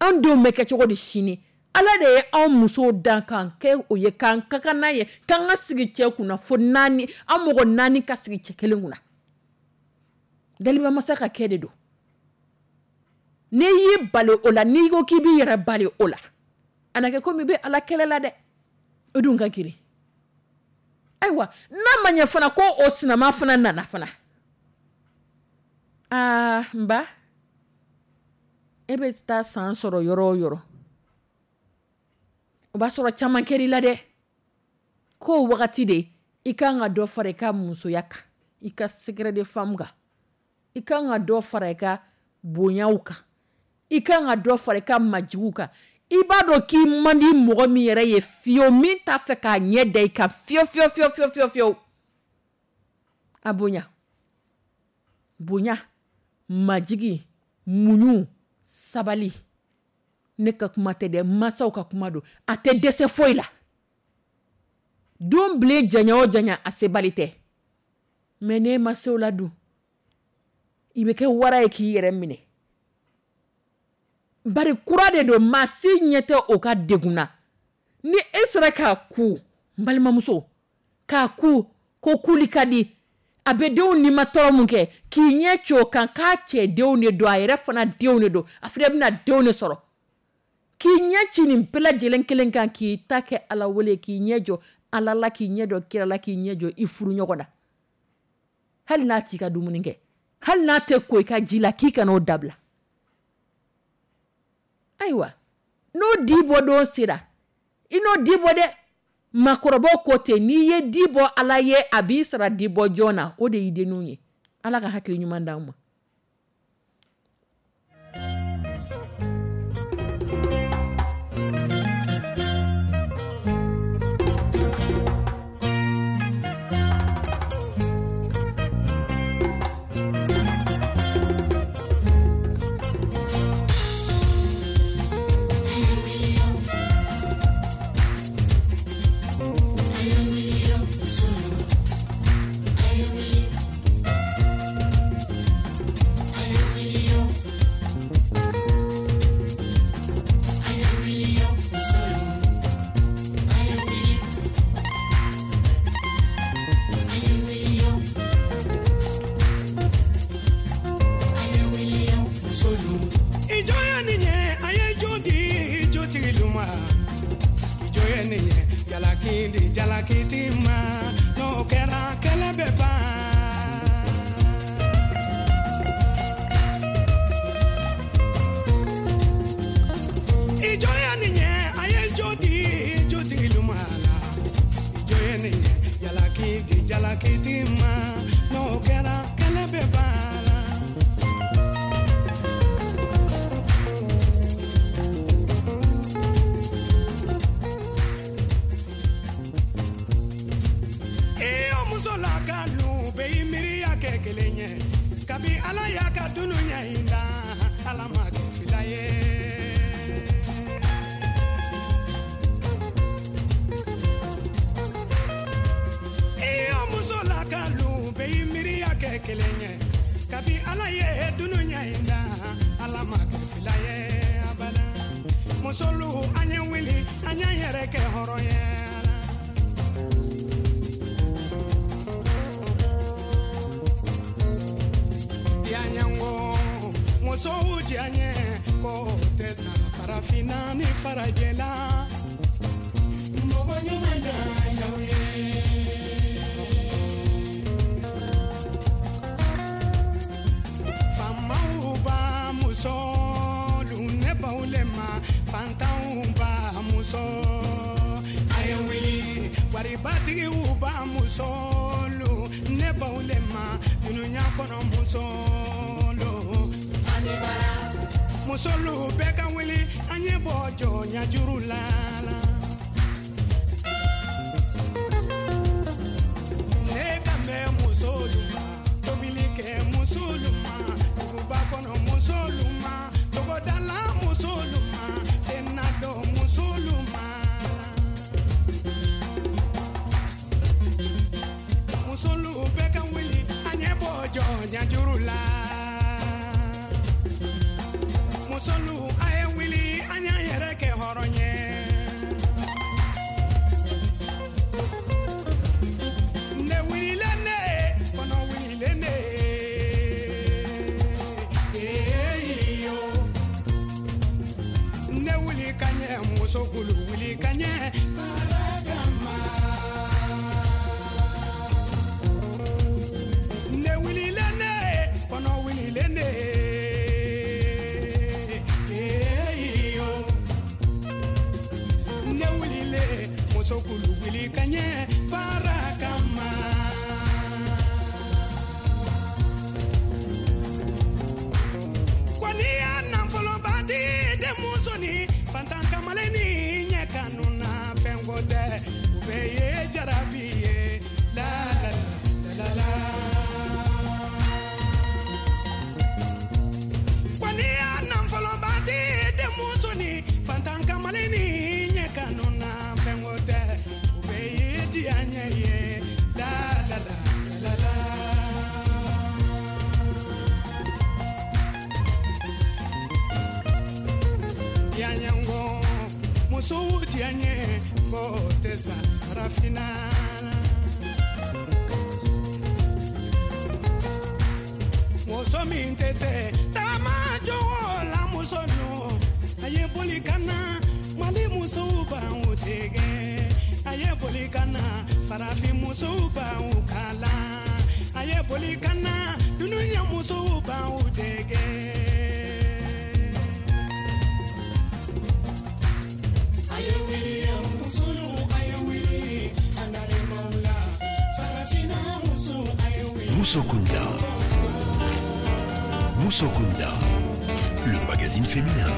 anw denw bɛ kɛ cogo di sini? Ala de ye anw musow dan k'an kɛ o ye, k'an ka kan n'a ye, k'an ka sigi cɛ kunna fo naani, an mɔgɔ naani ka sigi cɛ kelen kunna. Dalibamasa ka kɛ de don. N'i y'i bali o la, n'i ko k'i b'i yɛrɛ bali o la, a na kɛ komi i bɛ Ala kɛlɛ la dɛ. O dun ka girin. Ayiwa, n'a ma ɲɛ fana ko o sinama fana nana fana, aa n ba, e bɛ taa san sɔrɔ yɔrɔ o yɔrɔ, o b'a sɔrɔ caman kɛr'i la dɛ. K'o wagati de i kan ka dɔ fara i ka musoya kan, i ka secret de femme kan, i kan ka dɔ fara i ka bonyaw kan, i kan ka dɔ fara i ka majigiw kan. I b'a dɔn k'i man di mɔgɔ min yɛrɛ ye fiyewu, min t'a fɛ k'a ɲɛ da i kan fiyewu fiyewu fiyewu fiyewu fiyewu fiyewu, a bonya, bonya, majigi, muɲu, sabali. Ne ka kuma tɛ dɛ, masaw ka kuma don. A tɛ dɛsɛ foyi la. Don bilen janya o janya, a sebali tɛ. Mais n'e ma se o la dun, i bɛ kɛ wara ye k'i yɛrɛ minɛ. Bari kura de don, maa si ɲɛ tɛ o ka degun na. Ni e sera k'a ku, n balimamuso, k'a ku. Ko kuli ka di, a bɛ denw ni ma tɔɔrɔ mun kɛ, k'i ɲɛ ci o kan, k'a cɛ denw de don, a yɛrɛ fana denw de don, a fana bɛna denw de sɔrɔ. K'i ɲɛ ci nin bɛɛ lajɛlen kelen kan, k'i ta kɛ Ala wele, k'i ɲɛ jɔ Ala la, k'i ɲɛ jɔ kira la, k'i ɲɛ jɔ i furu ɲɔgɔn na. Hali n'a t'i ka dumuni kɛ, hali n'a tɛ ko i ka ji la, k'i kana o dabila. Ayiwa, n'o di bɔ don sera, i n'o di bɔ dɛ. Maakɔrɔbaw ko ten, n'i ye di bɔ Ala ye, a b'i sara di bɔ jɔn na, o de y'i denninw ye. Ala ka hakili ɲuman d'anw ma. Musow diya ye ko tɛ sa farafinna. Muso min tɛ se taama cogo la, muso nu a ye boli ka na. Mali musow b'anw dege, a ye boli ka na. Farafin musow b'anw kalan, a ye boli ka na. Dunuya musow b'anw dege. A ye wuli, musolu, a ye wuli, an dalen la. Farafinna musow, a ye wuli. Musokunda. Musokunda. Le magazine féminin.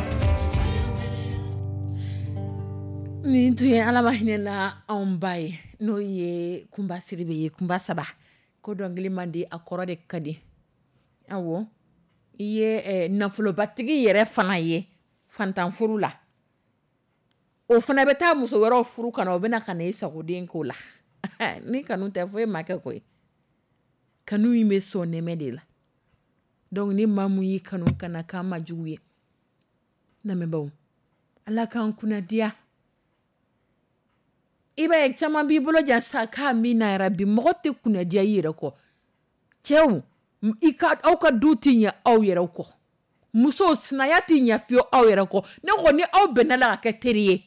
Nin tun ye Ala ma hinɛ la anw ba ye, n'o ye Kunba Sidibe ye, Kunba saba ko dɔnkili man di, a kɔrɔ de ka di. Awɔ, i ye nafolobatigi yɛrɛ fana ye fantanfuru la, o fana bɛ taa muso wɛrɛw furu ka na, o bɛna ka na i sagoden ko la. Ni kanu tɛ, foyi ma kɛ koyi. Kanu in bɛ sɔn nɛmɛ de la. Donc ni maa mun y'i kanu, kana k'a ma jugu ye. Lamɛnbaw, Ala k'an kunnadiya. I b'a ye, caman b'i bolo jan sa k'a min na yɛrɛ bi, mɔgɔ tɛ kunnadiya i yɛrɛ kɔ. Cɛw, i ka aw ka du tɛ ɲɛ aw yɛrɛ kɔ. Musow, sinaya tɛ ɲɛ fiyewu aw yɛrɛ kɔ. Ne ko ni aw bɛnna la ka kɛ teri ye,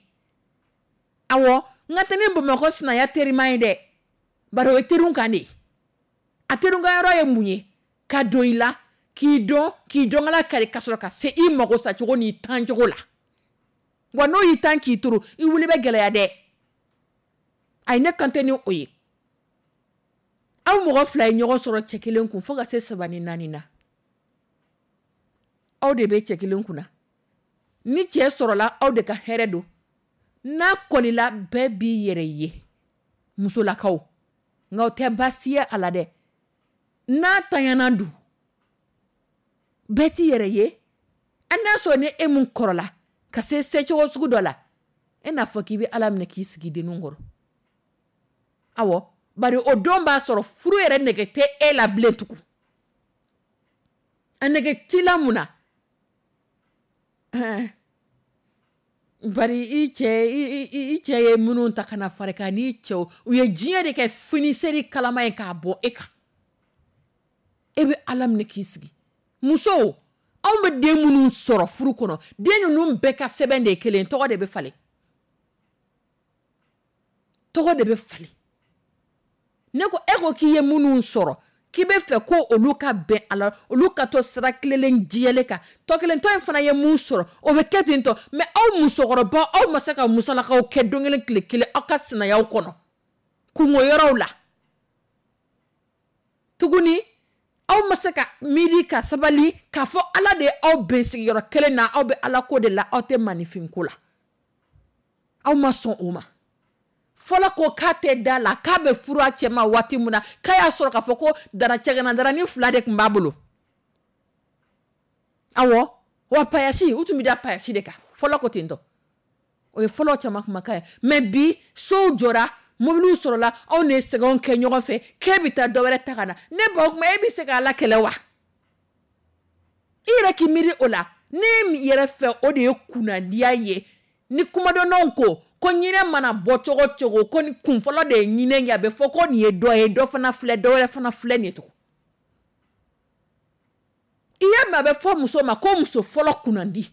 awɔ, n ka tɛ ni Bamakɔ sinaya terima ye dɛ, bari o ye teriw kan de ye. A teriw ka yɔrɔ ye mun ye? Ka don i la, k'i dɔn, k'i dɔnkala kari, ka sɔrɔ ka se i mago sacogo n'i tancogo la. Wa n'o y'i tan k'i turu, i wuli bɛ gɛlɛya dɛ. Ayi, ne kan tɛ ni o ye. Aw mɔgɔ fila ye ɲɔgɔn sɔrɔ cɛ kelen kun fo ka se saba ni naani na, aw de bɛ cɛ kelen kunna. Ni cɛ sɔrɔla, aw de ka hɛrɛ don. N'a kɔlila, bɛɛ b'i yɛrɛ ye, musolakaw. Nka o tɛ baasi ye a la dɛ. N'a tanyana dun, bɛɛ t'i yɛrɛ ye. An n'a sɔrɔ ni e mun kɔrɔla ka se secogo sugu dɔ la, e n'a fɔ k'i bɛ Ala minɛ k'i sigi denninw kɔrɔ. Awɔ, bari o don b'a sɔrɔ furu yɛrɛ nege tɛ e la bilen tugun. A nege t'i la mun na? Bari i cɛ i cɛ ye minnu ta ka na fara kan n'i cɛw, u ye diɲɛ de kɛ finiseri kalama ye k'a bɔ e kan. E bɛ Ala minɛ k'i sigi. Musow, anw bɛ den minnu sɔrɔ furu kɔnɔ, den ninnu bɛɛ ka sɛbɛn de ye kelen, tɔgɔ de bɛ falen, tɔgɔ de bɛ falen. Ne ko, e ko k'i ye minnu sɔrɔ, k'i bɛ fɛ ko olu ka bɛn a la, olu ka to sira tilelen jɛlen kan. Tɔ kelen tɔ in fana ye mun sɔrɔ, o bɛ kɛ ten tɔ. Mɛ aw musokɔrɔba, aw ma se ka musolakaw kɛ don kelen tile kelen aw ka sinayaw kɔnɔ kungo yɔrɔw la tuguni. Aw ma se ka miiri ka sabali k'a fɔ Ala de ye aw bɛn sigiyɔrɔ kelen na, aw bɛ Ala ko de la, aw tɛ maninfin ko la. Aw ma sɔn o ma. Fɔlɔ ko k'a tɛ da la k'a bɛ furu a cɛ ma waati min na, k'a y'a sɔrɔ k'a fɔ ko dara cɛgana darani fila de tun b'a bolo. Awɔ, wa payasi, u tun bɛ da payasi de kan. Fɔlɔ ko ten tɔ, o ye fɔlɔ caman kumakan ye. Mɛ bi, sow jɔra, mobiliw sɔrɔla, anw de ye sɛgɛnw kɛ ɲɔgɔn fɛ, k'e bɛ taa dɔ wɛrɛ ta ka na. Ne ba, o tuma e bɛ se k'a la kɛlɛ wa? I yɛrɛ k'i miiri o la. Ne yɛrɛ fɛ, o de ye kunnadiya ye. Ni kumadɔnnaw ko ko ɲinɛ mana bɔ cogo o cogo, ko ni kun fɔlɔ de ye ɲinɛ ye, a bɛ fɔ ko nin ye dɔ ye, dɔ fana filɛ, dɔ wɛrɛ fana filɛ nin ye tugun. I y'a mɛn, a bɛ fɔ muso ma ko muso fɔlɔ kunnandi.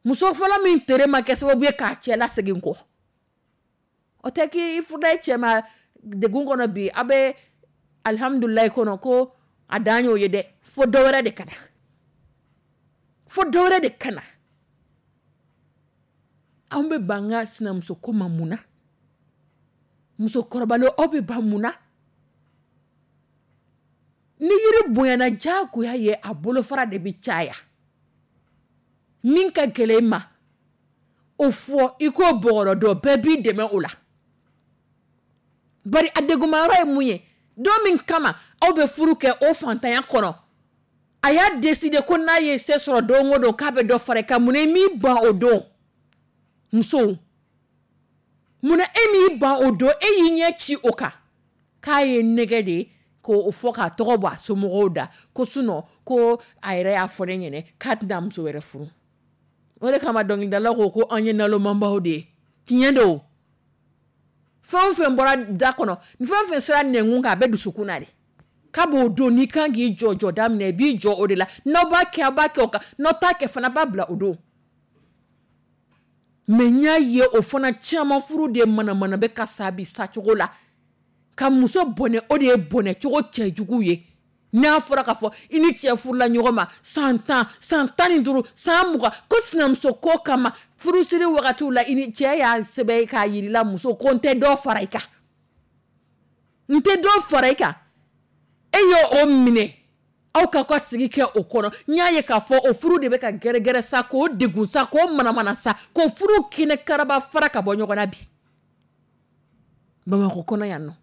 Muso fɔlɔ min tere ma kɛ sababu ye k'a cɛ lasegin kɔ, o tɛ k'i furuda i cɛ ma degun kɔnɔ bi, aw bɛ alihamudulilayi kɔnɔ, ko a dan y'o ye dɛ. Fo dɔ wɛrɛ de ka na, fo dɔ wɛrɛ de ka na. Anw bɛ ban ka sinamuso ko ma mun na? Musokɔrɔbalen, aw bɛ ban mun na? Ni yiri bonyana, diyagoya ye a bolofara de bɛ caya. Min ka gɛlɛn i ma, o fɔ i k'o bɔgɔrɔ dɔn, bɛɛ b'i dɛmɛ o la. Bari a degunmayɔrɔ ye mun ye? Don min kama aw bɛ furu kɛ, o fantanya kɔnɔ, a y'a décider ko n'a ye se sɔrɔ don o don, k'a bɛ dɔ fara i kan. Mun na i m'i ban o don? Musow, munna e m'i ban o don? E y'i ɲɛ ci o kan k'a ye nɛgɛ de ye k'o fɔ k'a tɔgɔ bɔ a somɔgɔw da, ko sinon ko a yɛrɛ y'a fɔ ne ɲɛnɛ k'a tɛna muso wɛrɛ furu. O de kama dɔnkilidala ko ko an ye nalomanbaw de ye. Tiɲɛ don. Fɛn o fɛn bɔra da kɔnɔ, fɛn o fɛn sera nɛnkun kan, a bɛ dusukun na de. K'a b'o don, n'i kan k'i jɔ jɔ daminɛ, i b'i jɔ o de la. N'aw b'a kɛ, aw b'a kɛ o kan. N'aw t'a kɛ fana, b'a bila o don. Mais n y'a ye, o fana caman furu de manamana bɛ ka sa bi sacogo la ka muso bɔnɛ. O de ye bɔnɛ cogo cɛjugu ye. N'a fɔra k'a fɔ i ni cɛ furula ɲɔgɔn ma san 10, san 15, san 20, ko sinamuso ko kama, furusiri wagatiw la, i ni cɛ y'a sɛbɛn k'a yirila muso ko n tɛ dɔ fara i kan, n tɛ dɔ fara i kan, e y'o o minɛ, aw k'aw ka sigi kɛ o kɔnɔ. N y'a ye k'a fɔ o furu de bɛ ka gɛrɛgɛrɛ sa, k'o degun sa, k'o manamana sa, k'o furu kɛnɛ karaba fara ka bɔ ɲɔgɔn na bi Bamakɔ kɔnɔ yan nɔ.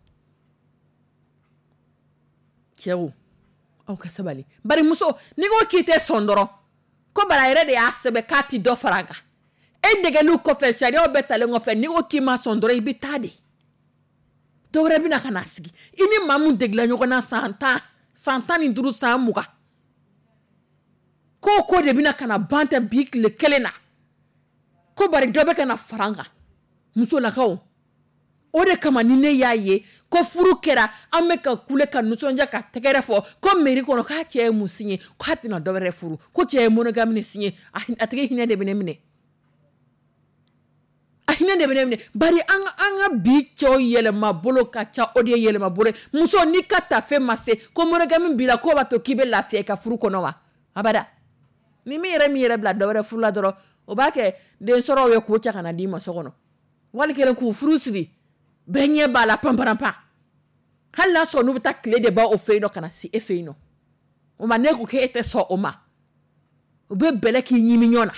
Cɛw, aw ka sabali. Bari muso, n'i ko k'i tɛ sɔn dɔrɔn, ko bari a yɛrɛ de y'a sɛbɛn k'a ti dɔ fara a kan, e nɛgɛliw kɔfɛ, sariyaw bɛɛ talen kɔfɛ, n'i ko k'i ma sɔn dɔrɔn, i bɛ taa de, dɔwɛrɛ bɛna ka na sigi. I ni maa mun degela ɲɔgɔn na san 10, san 15, san 20, ko ko de bɛna ka na ban tɛ bi tile kelen na, ko bari dɔ bɛ ka na fara an kan. Musolakaw, o de kama ni ne y'a ye ko furu kɛra, an bɛ ka kule ka nisɔndiya ka tɛgɛrɛ fɔ ko mairie kɔnɔ k'a cɛ ye mun signé, k'a tɛna dɔ wɛrɛ furu, ko cɛ ye monogame de signé, a tigi hinɛ de bɛ ne minɛ, a hinɛ de bɛ ne minɛ. Bari an ka bi cɛw yɛlɛma bolo ka ca, o de ye yɛlɛma bolo ye. Muso, n'i ka tafe ma se, ko monogame b'i la, k'o b'a to k'i bɛ lafiya i ka furu kɔnɔ wa? Abada. Ni min yɛrɛ min yɛrɛ bila dɔ wɛrɛ furu la dɔrɔn, o b'a kɛ den sɔrɔw ye k'o cɛ ka na d'i ma so kɔnɔ, wali kelen k'u furu siri, bɛɛ ɲɛ b'a la panparanpan. Hali n'a sɔrɔ n'u bɛ taa tile de ban o fɛ yen nɔ ka na se e fɛ yen nɔ, o ma ne ko k'e tɛ sɔn o ma, u bɛ bɛlɛ k'i ɲimi ɲɔgɔn na.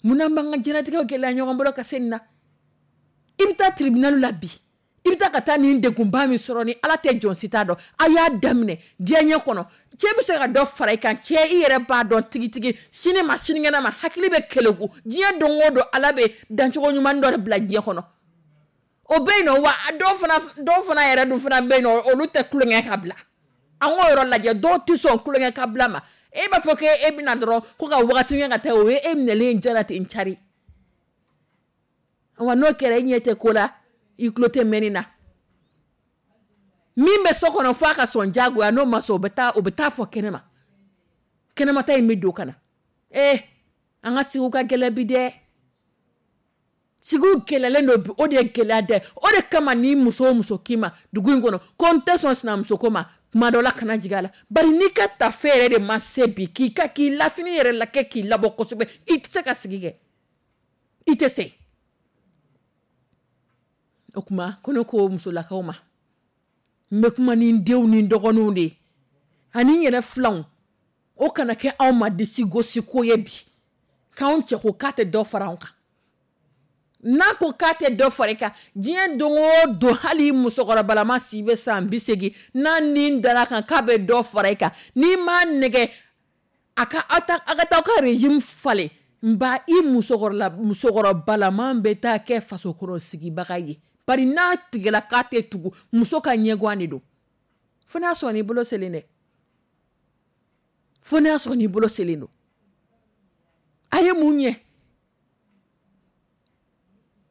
Munna an b'an ka diɲɛlatigɛw gɛlɛya ɲɔgɔn bolo ka se nin na? I bɛ taa tribunal la bi, i bɛ taa ka taa nin degunba min sɔrɔ, ni Ala tɛ jɔn si t'a dɔn. A y'a daminɛ diɲɛ kɔnɔ, cɛ bɛ se ka dɔ fara i kan. Cɛ, i yɛrɛ b'a dɔn tigitigi, sini ma sinikɛnɛ ma, hakili bɛ keleku. Diɲɛ don o don, Ala bɛ dancogo ɲuman dɔ de bila diɲɛ kɔnɔ, o bɛ yen nɔ. Wa dɔw fana yɛrɛ dun fana bɛ yen nɔ, olu tɛ tulonkɛ ka bila. An k'o yɔrɔ lajɛ, dɔw tɛ sɔn tulonkɛ ka bila ma. E b'a fɔ k'e bɛna dɔrɔn ko ka wagati kɛ ka taa, o ye e minɛlen jara ten cari. Wa n'o kɛra, e ɲɛ tɛ ko la, i tulo tɛ mɛnni na. Min bɛ so kɔnɔ, fo a ka sɔn diyagoya. N'o ma sɔn, o bɛ taa fɔ kɛnɛma, kɛnɛmata in bɛ don ka na. Ee, an ka sigiw ka gɛlɛn bi dɛ, sigiw gɛlɛyalen don bi. O de ye gɛlɛya dɛ. O de kama ni muso o muso k'i ma dugu in kɔnɔ ko n tɛ sɔn sinamuso ko ma, kuma dɔ la, kana jigin a la. Bari n'i ka tafe yɛrɛ de ma se bi k'i ka k'i lafini yɛrɛ la kɛ k'i labɔ kosɛbɛ, i tɛ se ka sigi kɛ, i tɛ se. O tuma ko ne ko musolakaw ma, n bɛ kuma ni n denw ni n dɔgɔninw de ye ani n yɛrɛ filanw, o kana kɛ anw ma disi gosi ko ye bi k'anw cɛ ko k'a tɛ dɔ fara anw kan. N'a ko k'a tɛ dɔ fara i kan, diɲɛ don o don, hali musokɔrɔbalama si bɛ san 80, n'a ni dara kan k'a bɛ dɔ fara i kan, n'i m'a nɛgɛ a ka aw ta, a ka taa aw ka régime falen, nba i musokɔrɔbalama bɛ taa kɛ fasokɔrɔ sigibaga ye. Bari n'a tigɛla k'a tɛ tugu, muso ka ɲɛguwan de don. Fo n'a sɔrɔ n'i bolo selen dɛ, fo n'a sɔrɔ n'i bolo selen don. A ye mun ɲɛ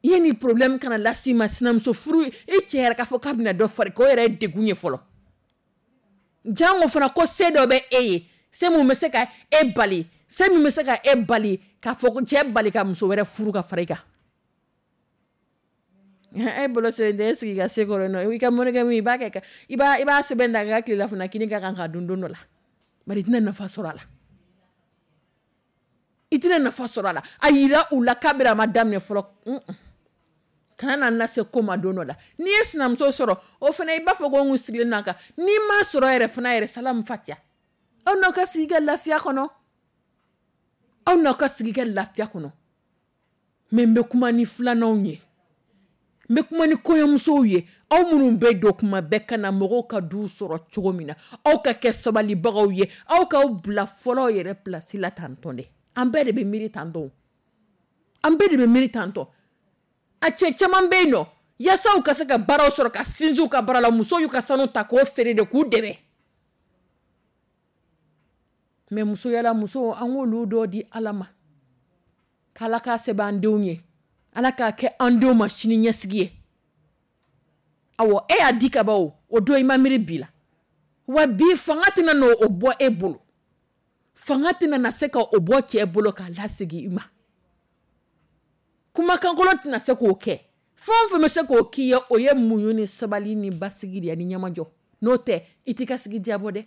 i ye nin problème kana las'i ma? Sinamuso furu, i cɛ yɛrɛ k'a fɔ k'a bɛna dɔ fara k'o yɛrɛ ye degun ye fɔlɔ. Jango fana ko se dɔ bɛ e ye, se mun bɛ se ka e bali, se min bɛ se ka e bali k'a fɔ ko cɛ bali ka muso wɛrɛ furu ka fara i kan. E bolo selen tɛ, e sigi ka se kɔrɔ nɔ, i ka monogame, i b'a kɛ, i b'a sɛbɛn da ka tilelafana kini ka kan ka dun don dɔ la. Bari i tɛna nafa sɔrɔ a la, i tɛna nafa sɔrɔ a la. A yira u la kabiri a ma daminɛ fɔlɔ, kana na lase ko ma don dɔ la. N'i ye sinamuso sɔrɔ, o fana i b'a fɔ ko n kun sigilen n'a kan. N'i ma sɔrɔ yɛrɛ fana yɛrɛ, salamu fatiya, aw n'aw ka sigi kɛ lafiya kɔnɔ, aw n'aw ka sigi kɛ lafiya kɔnɔ. Mais n bɛ kuma ni filananw ye, n bɛ kuma ni kɔɲɔmusow ye, aw minnu bɛ don kuma bɛɛ ka na mɔgɔw ka du sɔrɔ cogo min na, aw ka kɛ sabalibagaw ye, aw k'aw bila fɔlɔ yɛrɛ place la tantɔn dɛ. An bɛɛ de bɛ miiri tantɔn, an bɛɛ de bɛ miiri tantɔn. A cɛ caman bɛ yen nɔ, yaasa u ka se ka baaraw sɔrɔ ka sinsin u ka baara la, musow y'u ka sanu ta k'o feere de k'u dɛmɛ. Mais musoyala muso, an k'olu dɔ di Ala ma, k'Ala k'a sɛbɛn an denw ye, Ala k'a kɛ an denw ma sini ɲɛsigi ye. Awɔ, e y'a di ka ban, o o don i ma miiri bi la. Wa bi fanga tɛna n'o bɔ e bolo, fanga tɛna na se ka o bɔ cɛ bolo k'a lasegin i ma. Kumakankolon tɛna se k'o kɛ. Fɛn o fɛn bɛ se k'o k'i ye, o ye muɲu ni sabali ni basigi de ye ani ɲɛmajɔ. N'o tɛ, i t'i ka sigi diyabɔ dɛ.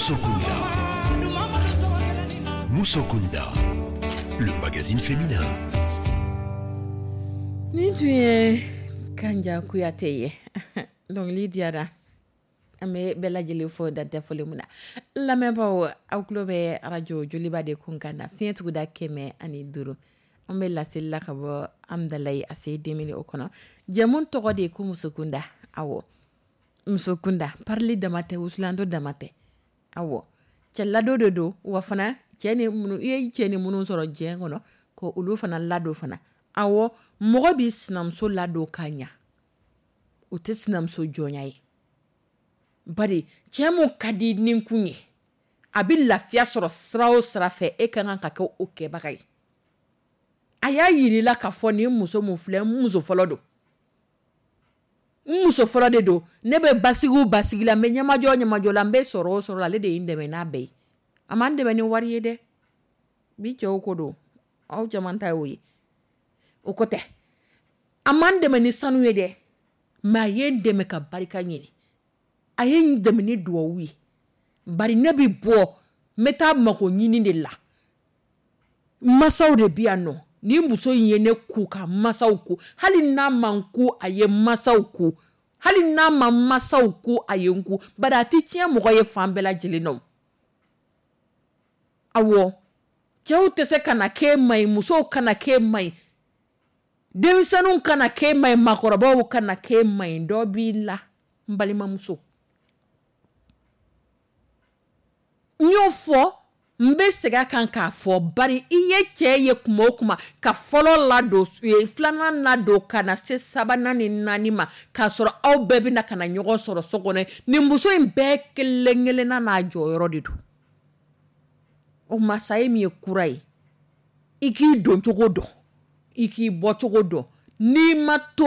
Musokunda. Musokunda, le magazine féminin. Nin tun ye Kanja Kuyate ye. Dɔnkili diyara. An bɛ bɛɛ lajɛlen fo dantɛ foli mun na. Lamɛnbaaw, aw tulo bɛ arajo Joliba de kun kan na, fiɲɛ tuguda 105. An bɛ laseli la ka bɔ Amdalayi ACI 2000 o kɔnɔ. Jɛmu tɔgɔ de ye ko Musokunda. Awɔ, Musokunda, parili dama tɛ, wusulan dama tɛ. Awɔ, cɛ ladon de don wa fana cɛ ni minnu i ye cɛ ni minnu sɔrɔ diɲɛ kɔnɔ ko olu fana ladon fana. Awɔ, mɔgɔ b'i sinamuso ladon ka ɲa, o tɛ sinamuso jɔnya ye. Bari cɛ mun ka di ni kun ye, a bɛ lafiya sɔrɔ sira o sira fɛ, e ka kan ka kɛ o kɛbaga ye. A y'a yir'i la k'a fɔ nin muso mun filɛ, n muso fɔlɔ don. N muso fɔlɔ de don. Ne bɛ basigi o basigi la, n bɛ ɲɛmajɔ o ɲɛmajɔ la, n bɛ sɔrɔ o sɔrɔ la, ale de ye n dɛmɛ n'a bɛɛ ye. A m'an dɛmɛ ni wari ye dɛ. Bi cɛw ko don, aw caman ta y'o ye. O ko tɛ. A m'an dɛmɛ ni sanu ye dɛ. Mais a ye n dɛmɛ ka barika ɲini. A ye n dɛmɛ ni duwawu ye. Bari ne bɛ bɔ, n bɛ taa mako ɲini de la. Masaw de bɛ yan nɔ. Ni muso in ye ne ku ka masaw ku, hali n'a ma n ku, a ye masaw ku. Hali n'a ma masaw ku, a ye n ku. Bari a tɛ tiɲɛ mɔgɔ ye fan bɛɛ lajɛlen na. Awɔ, cɛw tɛ se ka na k'e ma ɲi, musow kana k'e ma ɲi, denmisɛnninw kana k'e ma ɲi, maakɔrɔbaw kana k'e ma ɲi. Dɔ b'i la, n balimamuso. N y'o fɔ, n bɛ segin a kan k'a fɔ, bari i ye cɛ ye kuma o kuma ka fɔlɔ ladon, filanan ladon ka na se sabanan ni naani ma, k'a sɔrɔ aw bɛɛ bɛna ka na ɲɔgɔn sɔrɔ so kɔnɔ. Nin muso in bɛɛ kelen kelenna n'a jɔyɔrɔ de don. O tuma sa ye min ye kura ye, i k'i don cogo dɔn, i k'i bɔ cogo dɔn. N'i ma to,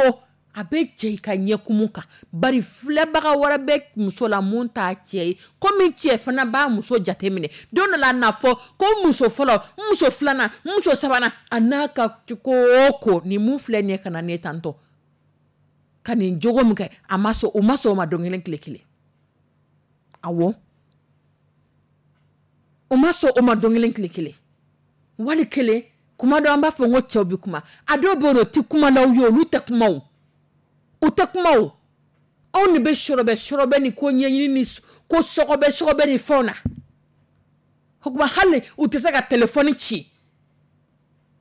a bɛ cɛ i ka ɲɛkumu kan. Bari filɛbaga wɛrɛ bɛ muso la mun t'a cɛ ye, komi cɛ fana b'a muso jateminɛ. Don dɔ la a n'a fɔ ko muso fɔlɔ, muso filanan, muso sabanan, a n'a ka ko o ko, nin mun filɛ nin ye ka na ne tantɔ ka nin jogo min kɛ, a ma sɔn, o ma sɔn o ma don kelen tile kelen. Awɔ, o ma sɔn o ma don kelen tile kelen. Wali kelen, kuma dɔ an b'a fɔ ko cɛw bɛ kuma, a dɔw bɛ yen nɔ, o tɛ kuma n'aw ye, olu tɛ kuma o. U tɛ kuma o. Anw de bɛ sɔrɔbɛ sɔrɔbɛ ni ko ɲɛɲini ni ko sɔgɔbɛ sɔgɔbɛ ni fɛnw na. O tuma hali u tɛ se ka telefɔni ci.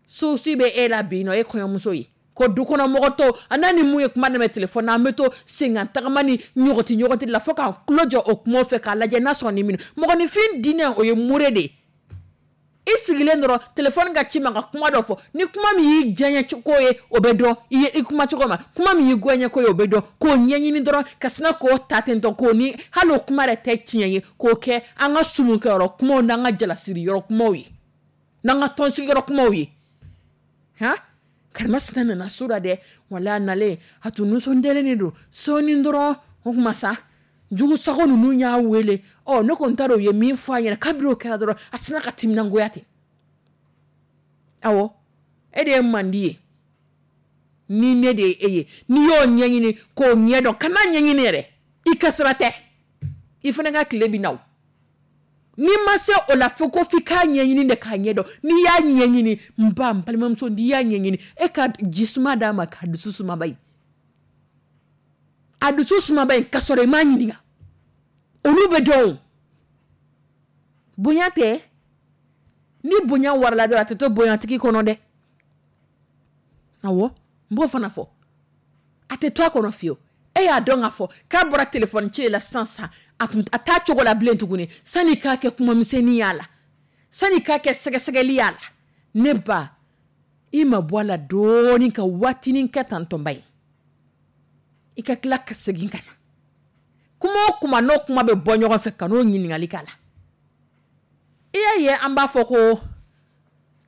Souci bɛ e la bi nɔ, e kɔɲɔmuso ye. Ko du kɔnɔ mɔgɔ tɔw, a n'a ni mun ye kuma daminɛ telefɔni na, an bɛ to senkan tagama ni ɲɔgɔti ɲɔgɔti la fo k'an tulo jɔ o kumaw fɛ k'a lajɛ n'a sɔrɔ ni min. Mɔgɔninfin diinɛ o ye mure de ye. I sigilen dɔrɔn telefɔni ka ci ma ka kuma dɔ fɔ, ni kuma min y'i diyaɲɛ ko ye o bɛ dɔn, i ye i kuma cogo ma, kuma min y'i goyaɲɛ ko ye o bɛ dɔn, k'o ɲɛɲini dɔrɔn ka sina k'o ta ten tɔ, k'o ni hali o kuma yɛrɛ tɛ tiɲɛ ye, k'o kɛ an ka sumukɛyɔrɔ kumaw n'an ka jalasiri yɔrɔ kumaw ye, n'an ka tɔnsigiyɔrɔ kumaw ye. Han, karimasina nana so la dɛ, wala a nalen a tun nisɔndiyalen de don. Sɔɔni dɔrɔn o kuma sa jugu sago ninnu y'a wele. Ɔ, ne kɔni t'a dɔn u ye min fɔ a ɲɛna. Kabini o kɛra dɔrɔn a sina ka timinangoya ten. Awɔ, e de ye mandi ye, ni ne de ye e ye, n'i y'o ɲɛɲini k'o ɲɛdɔn, kana ɲɛɲini yɛrɛ, i ka sira tɛ, i fana ka tile bɛ na o. N'i ma se o la fo ko f'i k'a ɲɛɲini de k'a ɲɛdɔn. N'i y'a ɲɛɲini, n ba, n balimamuso, n'i y'a ɲɛɲini, e ka jisuma d'a ma k'a dusu sumaba ye. A dusu sumaba in ka sɔrɔ i m'a ɲininka. Olu bɛ dɔn o. Bonya tɛ. Ni bonya warala dɔrɔn a tɛ to bonyatigi kɔnɔ dɛ. Awɔ, n b'o fana fɔ. A tɛ to a kɔnɔ fiyewu. E y'a dɔn k'a fɔ k'a bɔra telefɔni ci la sisan sisan, a kun a t'a cogo la bilen tuguni. Sanni k'a kɛ kumamisɛnnin y'a la, sanni k'a kɛ sɛgɛsɛgɛli y'a la, ne ba, i ma bɔ a la dɔɔnin ka waatinin kɛ tantɔnba ye, i ka tila ka segin ka na. Kuma o kuma n'o kuma bɛ bɔ ɲɔgɔn fɛ, ka n'o ɲininkali k'a la. I y'a ye an b'a fɔ ko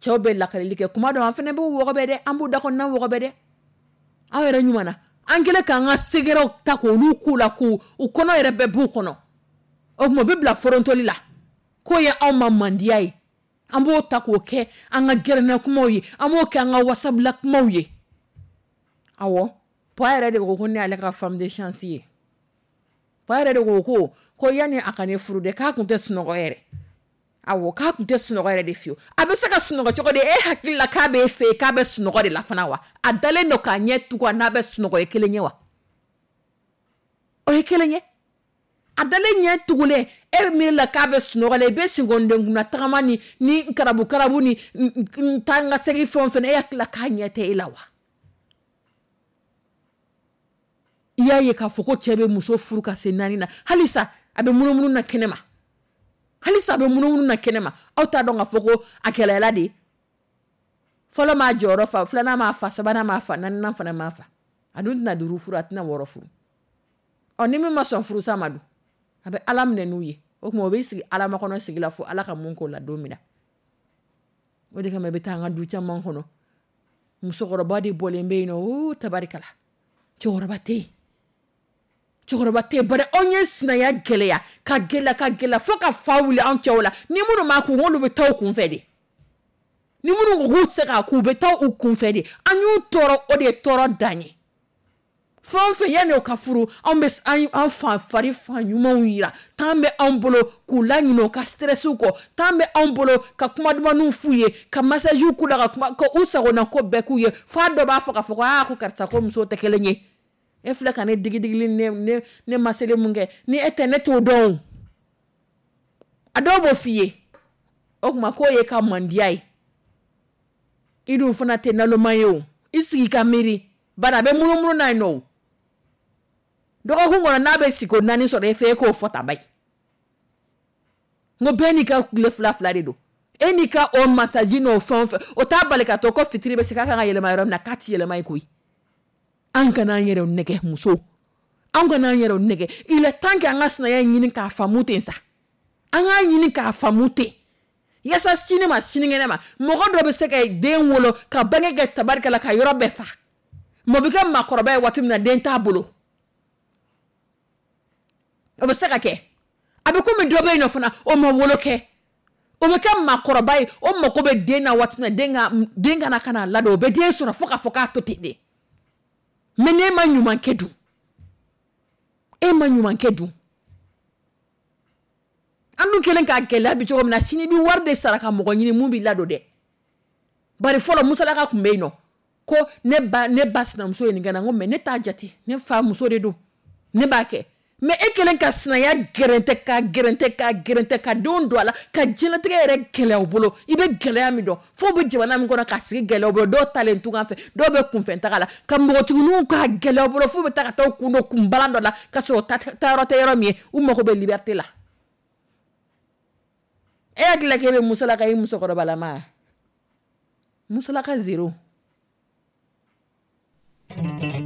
cɛw bɛ lakalili kɛ kuma dɔ, an fana b'u wɔgɔbɛ dɛ, an b'u da kɔnɔna wɔgɔbɛ dɛ. Aw yɛrɛ ɲuman na, an kɛlen k'an ka sɛgɛrɛw ta k'olu k'u la, k'u u kɔnɔ yɛrɛ bɛɛ b'u kɔnɔ. O tuma u bɛ bila forontoli la, k'o ye anw ma mandiya ye. An b'o ta k'o kɛ an ka gɛrɛnna kumaw ye, an b'o kɛ an ka wasabila kumaw ye. Awɔ, pɔ yɛrɛ de ko ko ne y'ale ka femme de chance ye. Fa yɛrɛ de ko yanni a ka ne furu de, k'a tun tɛ sunɔgɔ yɛrɛ. Awɔ, k'a tun tɛ sunɔgɔ yɛrɛ de fiyewu. A bɛ se ka sunɔgɔ cogo di? E hakili la k'a b'e fɛ yen k'a bɛ sunɔgɔ de la fana wa? A dalen don k'a ɲɛ tugun a n'a bɛ sunɔgɔ ye kelen ye wa? O ye kelen ye. A dalen ɲɛ tugulen, e miiri la k'a bɛ sunɔgɔ la, i bɛ seconde kunna tagama ni karabu karabu ni taa n ka segin fɛn o fɛn, e hakili la k'a ɲɛ tɛ e la wa? I y'a ye k'a fɔ ko cɛ bɛ muso furu ka se 4 na, halisa a bɛ munumunu na kɛnɛma, halisa a bɛ munumunu na kɛnɛma. Aw t'a dɔn k'a fɔ ko a gɛlɛyala de. Fɔlɔ m'a jɔyɔrɔ fa, filanan m'a fa, sabanan m'a fa, naaninan fana m'a fa. A dun tɛna 5 furu, a tɛna 6 furu. Ɔ, ni min ma sɔn furusa ma dun, a bɛ Ala minɛ n'u ye. O tuma o bɛ sigi Ala makɔnɔ sigi la fo Ala ka mun k'o la don min na. O de kama i bɛ taa an ka du caman kɔnɔ, musokɔrɔba de bɔlen bɛ yen nɔ, uu tabarikala, cɛkɔrɔba tɛ yen, cɛkɔrɔba tɛ yen. Bari anw ye sinaya gɛlɛya ka gɛlɛya ka gɛlɛya fo ka fa wuli anw cɛw la. Ni minnu m'a kun, olu bɛ taa u kun fɛ de. Ni minnu ko k'u tɛ se k'a kun, u bɛ taa u kun fɛ de. An y'u tɔɔrɔ, o de ye tɔɔrɔ dan ye. Fɛn o fɛn yanni o ka furu, anw bɛ an fa fari fan ɲumanw yira. Temps bɛ anw bolo k'u laɲinɛ u ka stressiw kɔ. Temps bɛ anw bolo ka kuma dumanw f'u ye, ka massagew k'u la, ka kuma ka u sagona ko bɛɛ k'u ye. F'a dɔ b'a fɔ k'a fɔ ko aa, ko karisa ko musow tɛ kelen ye. E filɛ ka ne digi digili ne masele mun kɛ, ni e tɛ ne t'o dɔn o. A dɔw b'o f'i ye. O tuma k'o ye ka mandiya ye. I dun fana tɛ naloma ye o. I sigi ka miiri. Bari a bɛ munumunu n'a yen nɔ o. Dɔgɔkun kɔnɔ n'a bɛ siko 4 sɔrɔ e fɛ, e k'o fɔ ta bayi. N ko bɛɛ n'i ka tile 2 2 de don. E n'i ka o massage n'o fɛn o fɛn, o t'a bali ka to ko fitiri bɛ se k'a kan ka yɛlɛma yɔrɔ min na, k'a ti yɛlɛma yen koyi. An kana an yɛrɛw nɛgɛ musow. An kana an yɛrɛw nɛgɛ. Il est temps que an ka sinaya ɲini k'a faamu ten sa. An k'a ɲini k'a faamu ten. Yasa sini ma sinikɛnɛ ma, mɔgɔ dɔ bɛ se ka den wolo ka bange kɛ tabarikala ka yɔrɔ bɛɛ fa. Mɔgɔ bɛ kɛ maakɔrɔba ye waati min na, den t'a bolo. O bɛ se ka kɛ. A bɛ komi dɔ bɛ yen nɔ fana, o ma wolo kɛ. O bɛ kɛ maakɔrɔba ye, o mako bɛ den na waati min na, den ka na ka na ladon, o bɛ den sɔrɔ fo k'a fɔ k'a to ten de. Mais n'e ma ɲuman kɛ dun? E ma ɲuman kɛ dun? An dun kɛlen k'a gɛlɛya bi cogo min na, sini i bɛ wari de sara ka mɔgɔ ɲini mun b'i ladon dɛ. Bari fɔlɔ musalaka tun bɛ yen nɔ. Ko ne ba sinamuso ye nin kɛ n na, n ko mais ne t'a jate, ne fa muso de don, ne b'a kɛ. Mais e kɛlen ka sinaya gɛrɛntɛ ka gɛrɛntɛ ka gɛrɛntɛ ka denw don a la, ka diɲɛlatigɛ yɛrɛ gɛlɛya u bolo. I bɛ gɛlɛya min dɔn, fo bɛ jamana min kɔnɔ k'a sigi gɛlɛya u bolo, dɔw talen tunga fɛ, dɔw bɛ kunfɛ taga la, ka npogotigininw k'a gɛlɛya u bolo, fo bɛ taa ka taa u kun don kunbalan dɔ la, ka sɔrɔ taayɔrɔ tɛ yɔrɔ min ye, u mago bɛ liberté la. E hakili la k'e bɛ musalaka i musokɔrɔbalama? Musalaka zéro. Yeah.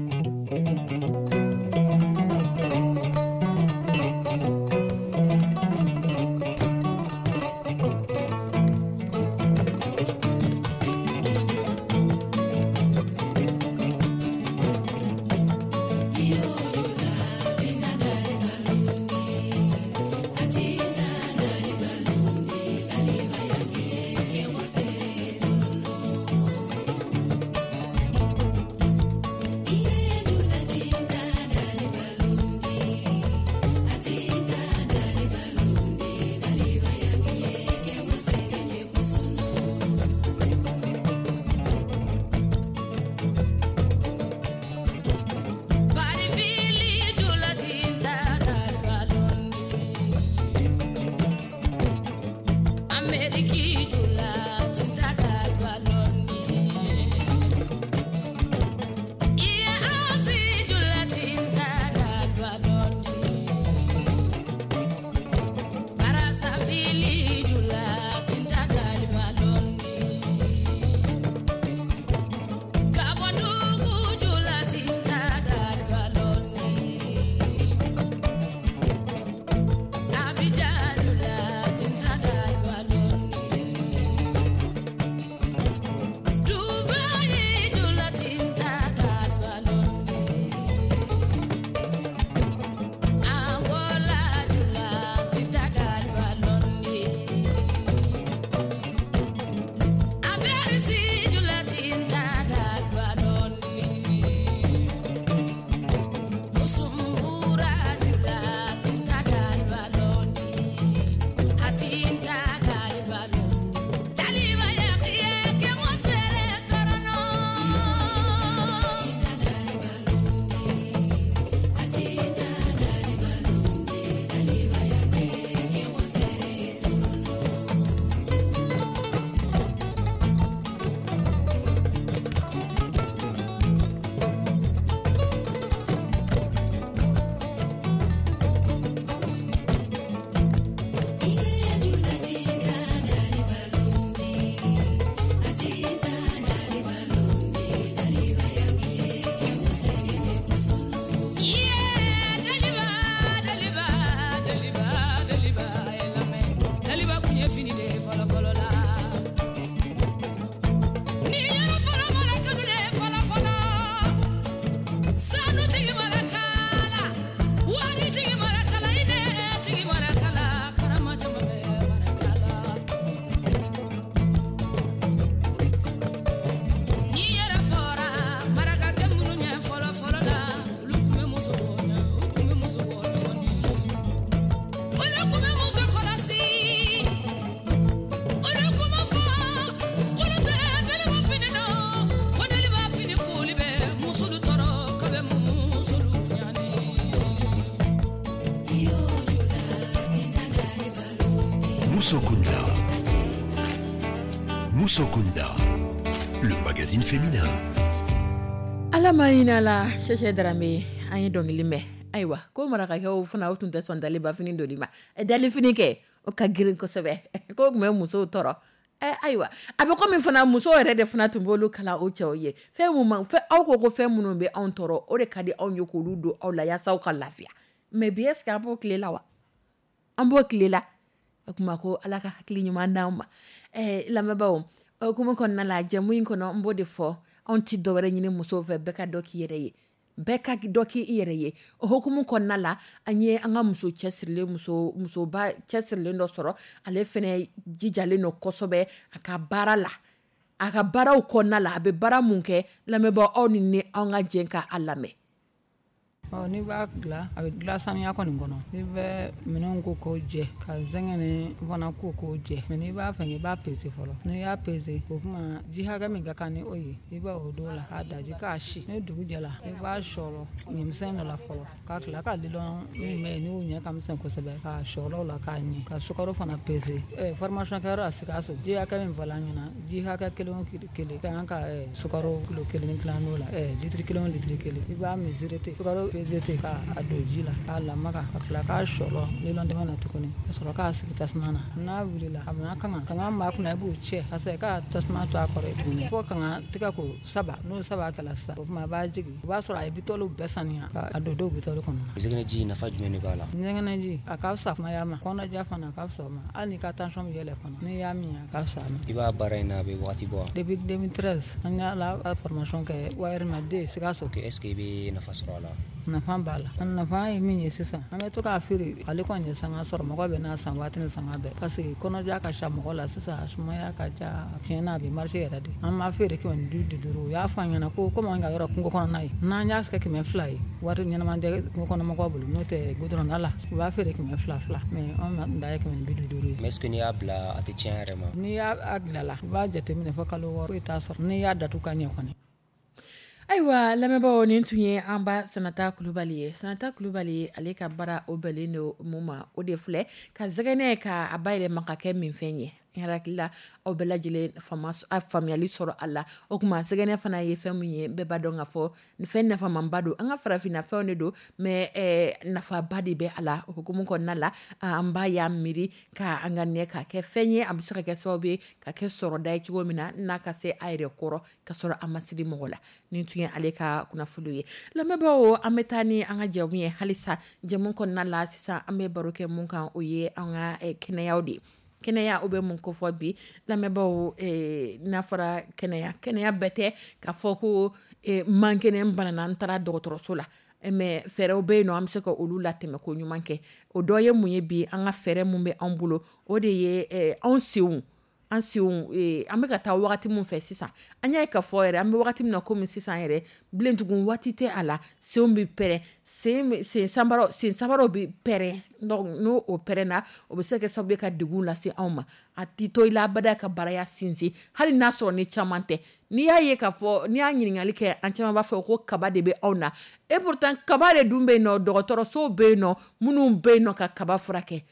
Musokunda. Musokunda, le magazine féminin. Ala ma hinɛ a la, Sɛsɛ Darame, an ye dɔnkili mɛn. Ayiwa, ko marakakɛw fana, o tun tɛ sɔn dalibafini doni ma. Dalifini kɛ, o ka girin kosɛbɛ, ko tun bɛ musow tɔɔrɔ. Ayiwa, a bɛ komi fana musow yɛrɛ de fana tun b'olu kala o cɛw ye. Fɛn mun ma fɛn, aw ko ko fɛn minnu bɛ anw tɔɔrɔ, o de ka di anw ye k'olu don aw la yaasa aw ka lafiya. Mais bi, est ce que an b'o tile la wa? An b'o tile la? O tuma ko Ala ka hakili ɲuman d'anw ma. Lamɛnbaaw, o hukumu kɔnɔna la, jɛmu in kɔnɔ, n b'o de fɔ, anw tɛ dɔwɛrɛ ɲini musow fɛ, bɛɛ ka dɔ k'i yɛrɛ ye, bɛɛ ka dɔ k'i yɛrɛ ye. O hukumu kɔnɔna la, an ye an ka muso cɛsirilen, muso musoba cɛsirilen dɔ sɔrɔ. Ale fɛnɛ jijalen don kosɛbɛ a ka baara la, a ka baaraw kɔnɔna la. A bɛ baara mun kɛ, lamɛnbaaw, aw ni ne, an ka jɛ ka a lamɛn. Ɔ, n'i b'a dilan, a bɛ dilan saniya kɔni kɔnɔ. I bɛ minɛnw ko k'o jɛ, ka zɛgɛnɛ fana ko k'o jɛ. Mais n'i b'a fɛ, i b'a pese fɔlɔ. N'i y'a pese, o tuma ji hakɛ min ka kan ni o ye, i b'a o don la k'a daji k'a si. Ni dugu jɛla, i b'a sɔrɔ ɲimisɛn dɔ la fɔlɔ, ka tila ka lilɔn min bɛ yen n'o ɲɛ ka misɛn kosɛbɛ, k'a sɔrɔ o la k'a ɲɛ, ka sukaro fana pese. Formation kɛyɔrɔ la Sikaso, ji hakɛ min fɔla an ɲɛna, ji hakɛ kelen o kelen ka kan ka sukaro kilo kelen ni tila n'o la, litiri kelen o litiri kelen, i b'a mesurer ten, sukaro pese ten, k'a don ji la k'a lamaga, ka tila k'a sɔrɔ lilɔn tɛmɛ na tuguni, ka sɔrɔ k'a sigi tasuma na. N'a wulila, a bɛna kanga kanga min b'a kunna, i b'o cɛ parce que k'a tasuma to a kɔrɔ tuguni fo kanga tigɛ ko saba. N'o saba kɛla sisan, o tuma a b'a jigin, o b'a sɔrɔ a ye bitɔliw bɛɛ saniya ka don dɔw bitɔli kɔnɔ. Zɛgɛnɛji, nafa jumɛn de b'a la? Zɛgɛnɛji, a ka fisa sumaya ma, kɔnɔja fana a ka fisa o ma. Hali n'i ka tension bɛ yɛlɛ fana, n'i y'a min, a ka fisa a ma. I b'a baara in na, a bɛ wagati bɔ wa? Depuis 2013, an y'a la formation kɛ Wayɛrɛma Sikaso. Est ce que i bɛ nafa sɔrɔ a la? Nafa b'a la. A nafa ye min ye sisan, an bɛ to k'a feere. Ale kɔni ye sanga sɔrɔ, mɔgɔ bɛ n'a san waati ni sanga bɛɛ, parce que kɔnɔja ka ca mɔgɔ la sisan, a sumaya ka ca. Tiɲɛ na, a bɛ marché yɛrɛ de. An b'a feere 550. U y'a fɔ an ɲɛna ko komi an ka yɔrɔ kungo kɔnɔna ye, n'an y'a kɛ 200 ye, wari ɲɛnama tɛ kungo kɔnɔ mɔgɔw bolo. N'o tɛ, goudron la, u b'a feere 200 fila, mais anw da ye 550 ye. Mais est ce que n'i y'a bila, a tɛ tiɲɛ yɛrɛ ma? N'i y'a dilan la, i b'a jateminɛ fɔ kalo 6, foyi t'a sɔrɔ n'i y'a datugu ka ɲɛ kɔni. Ayiwa lamɛnbaaw, nin tun ye an ba Sanata Kulubali ye. Sanata Kulubali, ale ka baara o bɛnnen don mun ma? O de filɛ, ka zɛgɛnɛ ka a bayɛlɛma ka kɛ minfɛn ye. N hakili la, aw bɛɛ lajɛlen faamuyali sɔrɔ a la. O tuma, zɛgɛnɛ fana ye fɛn min ye, bɛɛ b'a dɔn ka fɔ fɛn nafamanba don. An ka farafinna fɛnw de don, mais nafaba de bɛ a la. O hukumu kɔnɔna la, an ba y'a miiri ka an ka nɛ ka kɛ fɛn ye, a bɛ se ka kɛ sababu ye ka kɛ sɔrɔda ye cogo min na, n'a ka se a yɛrɛ kɔrɔ ka sɔrɔ a ma siri mɔgɔ la. Nin tun ye ale ka kunnafoni ye. Lamɛnbaaw, an bɛ taa ni an ka jamu ye halisa. Jamu kɔnɔna la sisan, an bɛ baro kɛ mun kan? O ye an ka kɛnɛyaw de ye. Kɛnɛya, o bɛ mun kofɔ bi, lamɛnbaaw? N'a fɔra kɛnɛya, kɛnɛya bɛɛ tɛ k'a fɔ ko man kɛnɛ, n banana, n taara dɔgɔtɔrɔso la. Mais fɛɛrɛw bɛ yen nɔ, an bɛ se ka olu latɛmɛ ko ɲuman kɛ. O dɔ ye mun ye bi? An ka fɛɛrɛ mun bɛ anw bolo, o de ye anw senw. An senw, an bɛ ka taa wagati min fɛ sisan, an y'a ye k'a fɔ yɛrɛ, an bɛ wagati min na komi sisan yɛrɛ, bilentugun waati tɛ a la, senw bɛ pɛrɛn, sen sanbaraw, sen sabaraw bɛ pɛrɛn. Donc n'o o pɛrɛnna, o bɛ se ka kɛ sababu ye ka degun lase anw ma. A t'i to i la abada ka baraya sinsin, hali n'a sɔrɔ ni caman tɛ. N'i y'a ye k'a fɔ, n'i y'a ɲininkali kɛ, an caman b'a fɔ ko kaba de bɛ anw na. Et pourtant kaba de dun bɛ yen nɔ, dɔgɔtɔrɔsow bɛ yen nɔ minnu bɛ yen nɔ ka kaba furakɛ.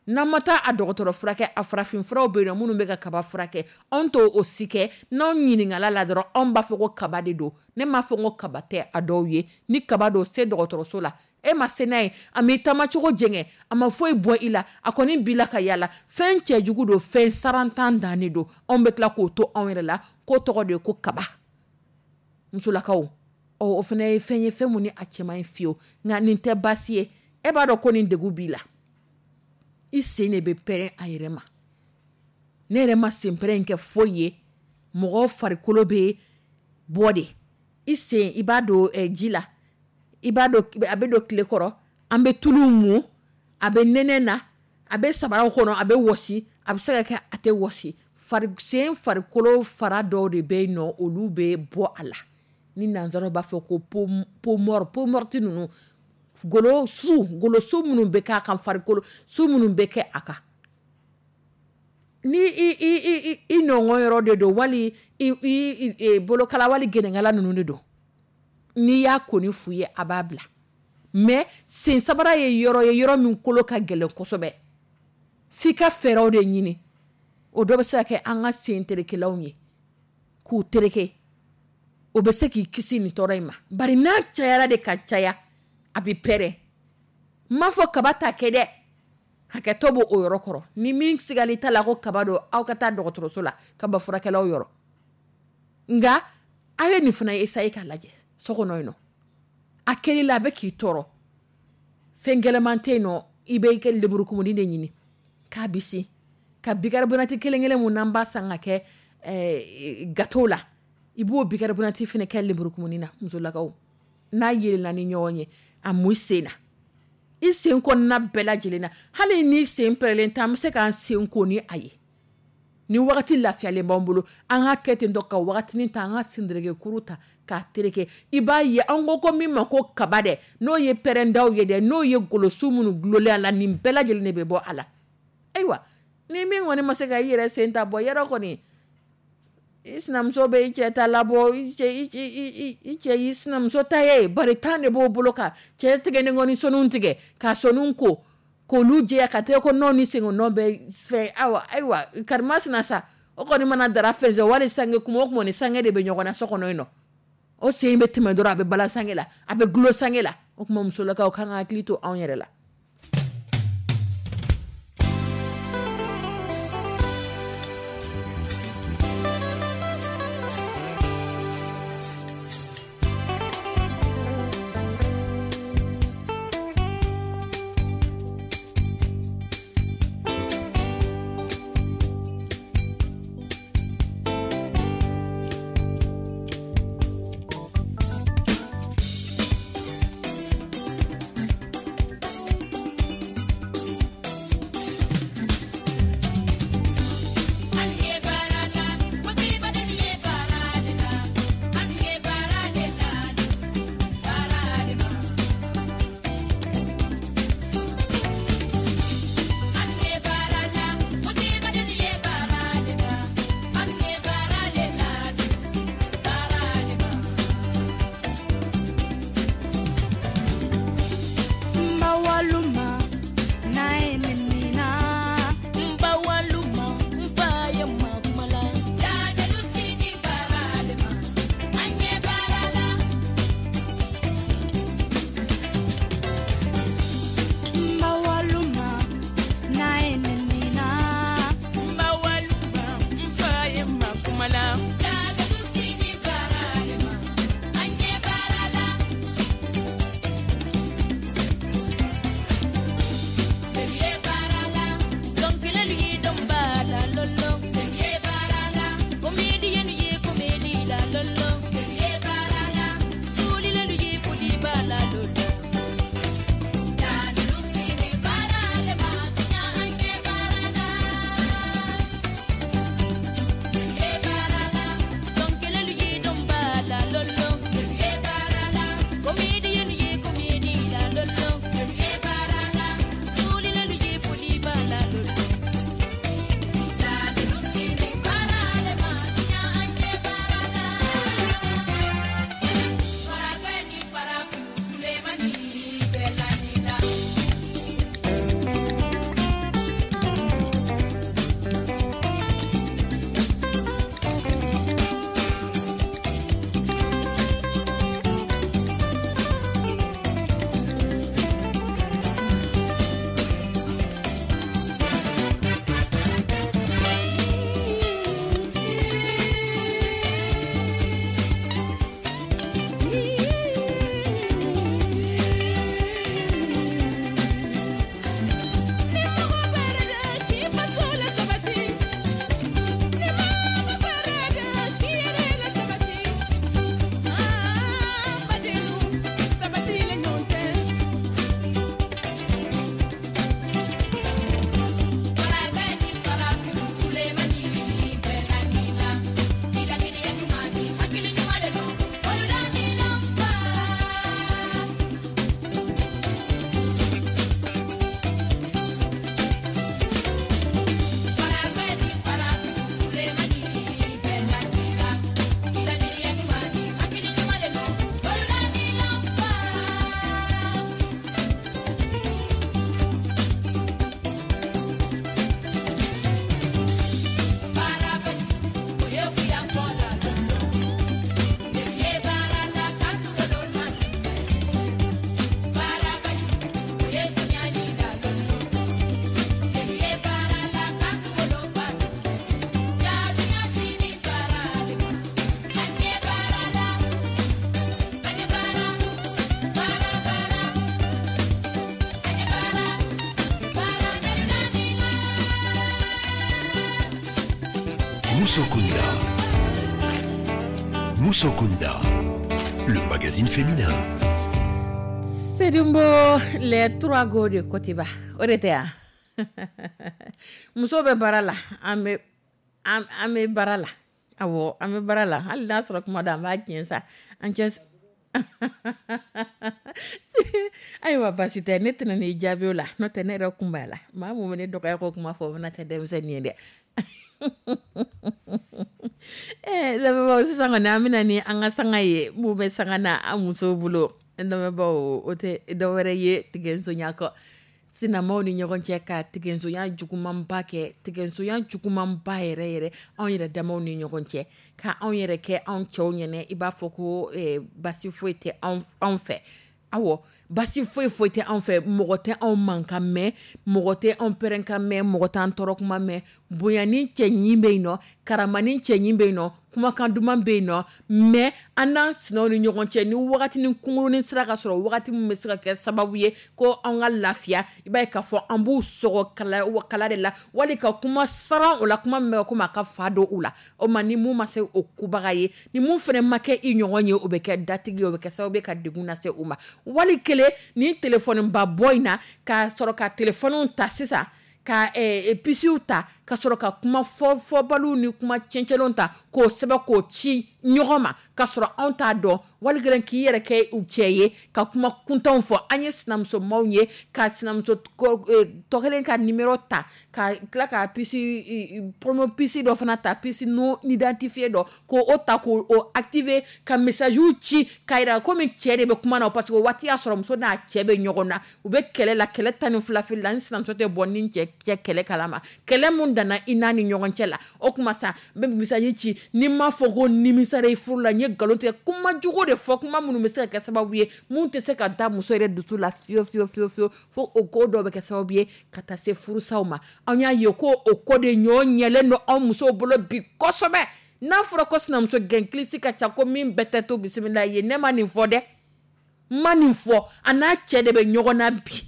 N'an ma taa a dɔgɔtɔrɔ furakɛ, a farafin furaw bɛ yen nɔ minnu bɛ ka kaba furakɛ. Anw t'o o si kɛ. N'anw ɲininkala la dɔrɔn, anw b'a fɔ ko kaba de don. Ne m'a fɔ ko kaba tɛ a dɔw ye. Ni kaba don, se dɔgɔtɔrɔso la. E ma se n'a ye, a m'i taamacogo jɛngɛ, a ma foyi bɔ i la, a kɔni b'i la ka yala. Fɛn cɛjugu don, fɛn sarantan dan de don. Anw bɛ tila k'o to anw yɛrɛ la k'o tɔgɔ de ye ko kaba. Musolakaw, ɔ, o fana ye fɛn ye, fɛn mun ni a cɛ man ɲi fiyewu. Nka nin tɛ baasi ye. E b'a dɔn ko nin degun b'i la, i sen de bɛ pɛrɛn a yɛrɛ ma. Ne yɛrɛ ma sen pɛrɛn kɛ foyi ye. Mɔgɔ farikolo bɛ bɔ de, i sen, i b'a don ji la, i b'a don, a bɛ don tile kɔrɔ, an bɛ tulu mun, a bɛ nɛnɛ na, a bɛ sabaraw kɔnɔ, a bɛ wɔsi, a bɛ se ka kɛ a tɛ wɔsi. Fari sen farikolo fara dɔw de bɛ yen nɔ, olu bɛ bɔ a la, ni nanzaraw b'a fɔ ko peau morte. Peau morte ninnu, golo su, golo su minnu bɛ k'a kan, farikolo su minnu bɛ kɛ a kan, ni i nɔngɔn yɔrɔ de don, wali i bolokala, wali gɛnɛkala ninnu de don, n'i y'a kɔni f'u ye, a b'a bila. Mais sen sabara ye yɔrɔ ye, yɔrɔ min kolo ka gɛlɛn kosɛbɛ. F'i ka fɛɛrɛw de ɲini. O dɔ bɛ se ka kɛ an ka sen terekelaw ye, k'u tereke. O bɛ se k'i kisi nin tɔɔrɔ in ma, bari n'a cayara de ka caya, a bɛ pɛrɛn. N m'a fɔ kaba ta kɛ dɛ, hakɛtɔ b'o o yɔrɔ kɔrɔ. Ni min sigali t'a la ko kaba don, aw ka taa dɔgɔtɔrɔso la, kaba furakɛlaw yɔrɔ. Nka aw ye nin fana essayer k'a lajɛ so kɔnɔ yen nɔ. A kɛli la, a bɛ k'i tɔɔrɔ, fɛn gɛlɛman tɛ yen nɔ. I bɛ kɛ lemurukumuni de ɲini k'a bisi ka bicarbonate kelen kelen mun n'an b'a san ka kɛ gâteau la, i b'o bicarbonate fana kɛ lemurukumuni na. Musolakaw, n'a yeelela ni ɲɔgɔn ye, a mun sen na, i sen kɔnɔna bɛɛ lajɛlen na. Hali ni sen pɛrɛlen tɛ, an bɛ se k'an sen ko ni a ye. Ni wagati lafiyalen b'an bolo, an ka kɛ ten tɔ ka wagatinin ta, an ka senderekekuru ta k'a tereke. I b'a ye, an ko min ma ko kaba dɛ, n'o ye pɛrɛndaw ye dɛ, n'o ye golosu minnu gulonlen a la, nin bɛɛ lajɛlen de bɛ bɔ a la. Ayiwa, ni min kɔni ma se ka i yɛrɛ sen ta bɔ, yɔrɔ kɔni i sinamuso bɛ i cɛ ta labɔ, i cɛ y'i sinamuso ta ye, bari tan de b'o bolo ka cɛ tigɛ ni kɔni sɔnniw tigɛ ka sɔnniw ko k'olu jɛya ka tɛgɛ ko nɔ ni sen nɔ bɛ fɛ. Awa, ayiwa, karima sina sa, o kɔni mana dara fɛnsɛn wali sange, kuma o kuma ni sange de bɛ ɲɔgɔn na so kɔnɔ yen nɔ, o sen bɛ tɛmɛ dɔrɔn, a bɛ balan sange la, a bɛ gulo sange la. O tuma musolakaw kan ka hakili to anw yɛrɛ la. Musokunda. Musokunda, le magazine féminin. Sedumbo, les trois go de Kotiba. O de tɛ yan. Muso bɛ baara la, an bɛ an bɛ baara la. Awɔ, an bɛ baara la. Hali n'a sɔrɔ kuma dɔ an b'a tiɲɛ sa. An cɛ ayiwa, baasi tɛ, ne tɛna n'i jaabi o la, n'o tɛ ne yɛrɛ kun b'a la. Maa mun bɛ ne dɔgɔya ko kuma fɔ, o fana tɛ denmisɛnnin ye dɛ. Lamɛnbaaw, sisan kɔni an bɛna ni an ka sanga ye. Mun bɛ sanga na an musow bolo, lamɛnbaaw, o tɛ dɔwɛrɛ ye tigɛnsonya kɔ. Sinamaw ni ɲɔgɔn cɛ ka tigɛnsonya jugumanba kɛ, tigɛnsonya jugumanba yɛrɛ yɛrɛ anw yɛrɛ damaw ni ɲɔgɔn cɛ, ka anw yɛrɛ kɛ anw cɛw ɲɛnɛ i b'a fɔ ko basi foyi tɛ anw fɛ. Awɔ, basi foyi foyi tɛ anw fɛ, mɔgɔ tɛ anw mankan mɛn, mɔgɔ tɛ anw pɛrɛnkan mɛn, mɔgɔ t'an tɔɔrɔ kuma mɛn. Bonya ni cɛɲi bɛ yen nɔ, karama ni cɛɲi bɛ yen nɔ, kumakan duman bɛ yen nɔ, mais an n'an sinaw ni ɲɔgɔn cɛ, ni wagati ni kunkurunin sera ka sɔrɔ, wagati min bɛ se ka kɛ sababu ye ko an ka lafiya, i b'a ye k'a fɔ an b'u sɔgɔ kala kala de la, wali ka kuma saran o la, kuma min bɛ komi a ka fa don u la. O ma ni mun ma se o kubaga ye, ni mun fana ma kɛ i ɲɔgɔn ye, o bɛ kɛ datigi ye, o bɛ kɛ sababu ye ka degun lase u ma. Wali kelen ni telefɔni ba bɔ in na, k'a sɔrɔ ka telefɔniw ta sisan, ka pisiw ta, ka sɔrɔ ka kuma fɔbaliw ni kuma cɛncɛnw ta k'o sɛbɛn k'o ci ɲɔgɔn ma, ka sɔrɔ anw t'a dɔn. Wali kelen k'i yɛrɛ kɛ u cɛ ye ka kuma kuntanw fɔ. An ye sinamusomaw ye ka sinamuso tɔ kelen ka numéro ta, ka tila ka pisi promo pisi dɔ fana ta, pisi non identifié dɔ, k'o o ta k'o activer, ka message ci k'a yira komi cɛ de bɛ kuma na, parce que o waati y'a sɔrɔ muso n'a cɛ bɛ ɲɔgɔn na, u bɛ kɛlɛ la, kɛlɛ 12 fili la. Ni sinamuso tɛ bɔ ni cɛ kɛlɛ kalama, kɛlɛ mun danna i n'a ni ɲɔgɔn cɛ la, o kuma sa n bɛ message ci, ni n m'a fɔ ko nimisara i furu la, n ye nkalon tigɛ, kuma jugu de fɔ, kuma minnu bɛ se ka kɛ sababu ye mun tɛ se ka da muso yɛrɛ dusu la fiyewu fiyewu fiyewu fiyewu, fo o ko dɔ bɛ kɛ sababu ye ka taa se furusaw ma. An y'a ye ko o ko de ɲɔ ɲɛlen don anw musow bolo bi kosɛbɛ. N'a fɔra ko sinamuso gɛnkilisi ka ca, ko min bɛɛ tɛ to bisimila ye, ne ma nin fɔ dɛ, n ma nin fɔ. A n'a cɛ de bɛ ɲɔgɔn na bi,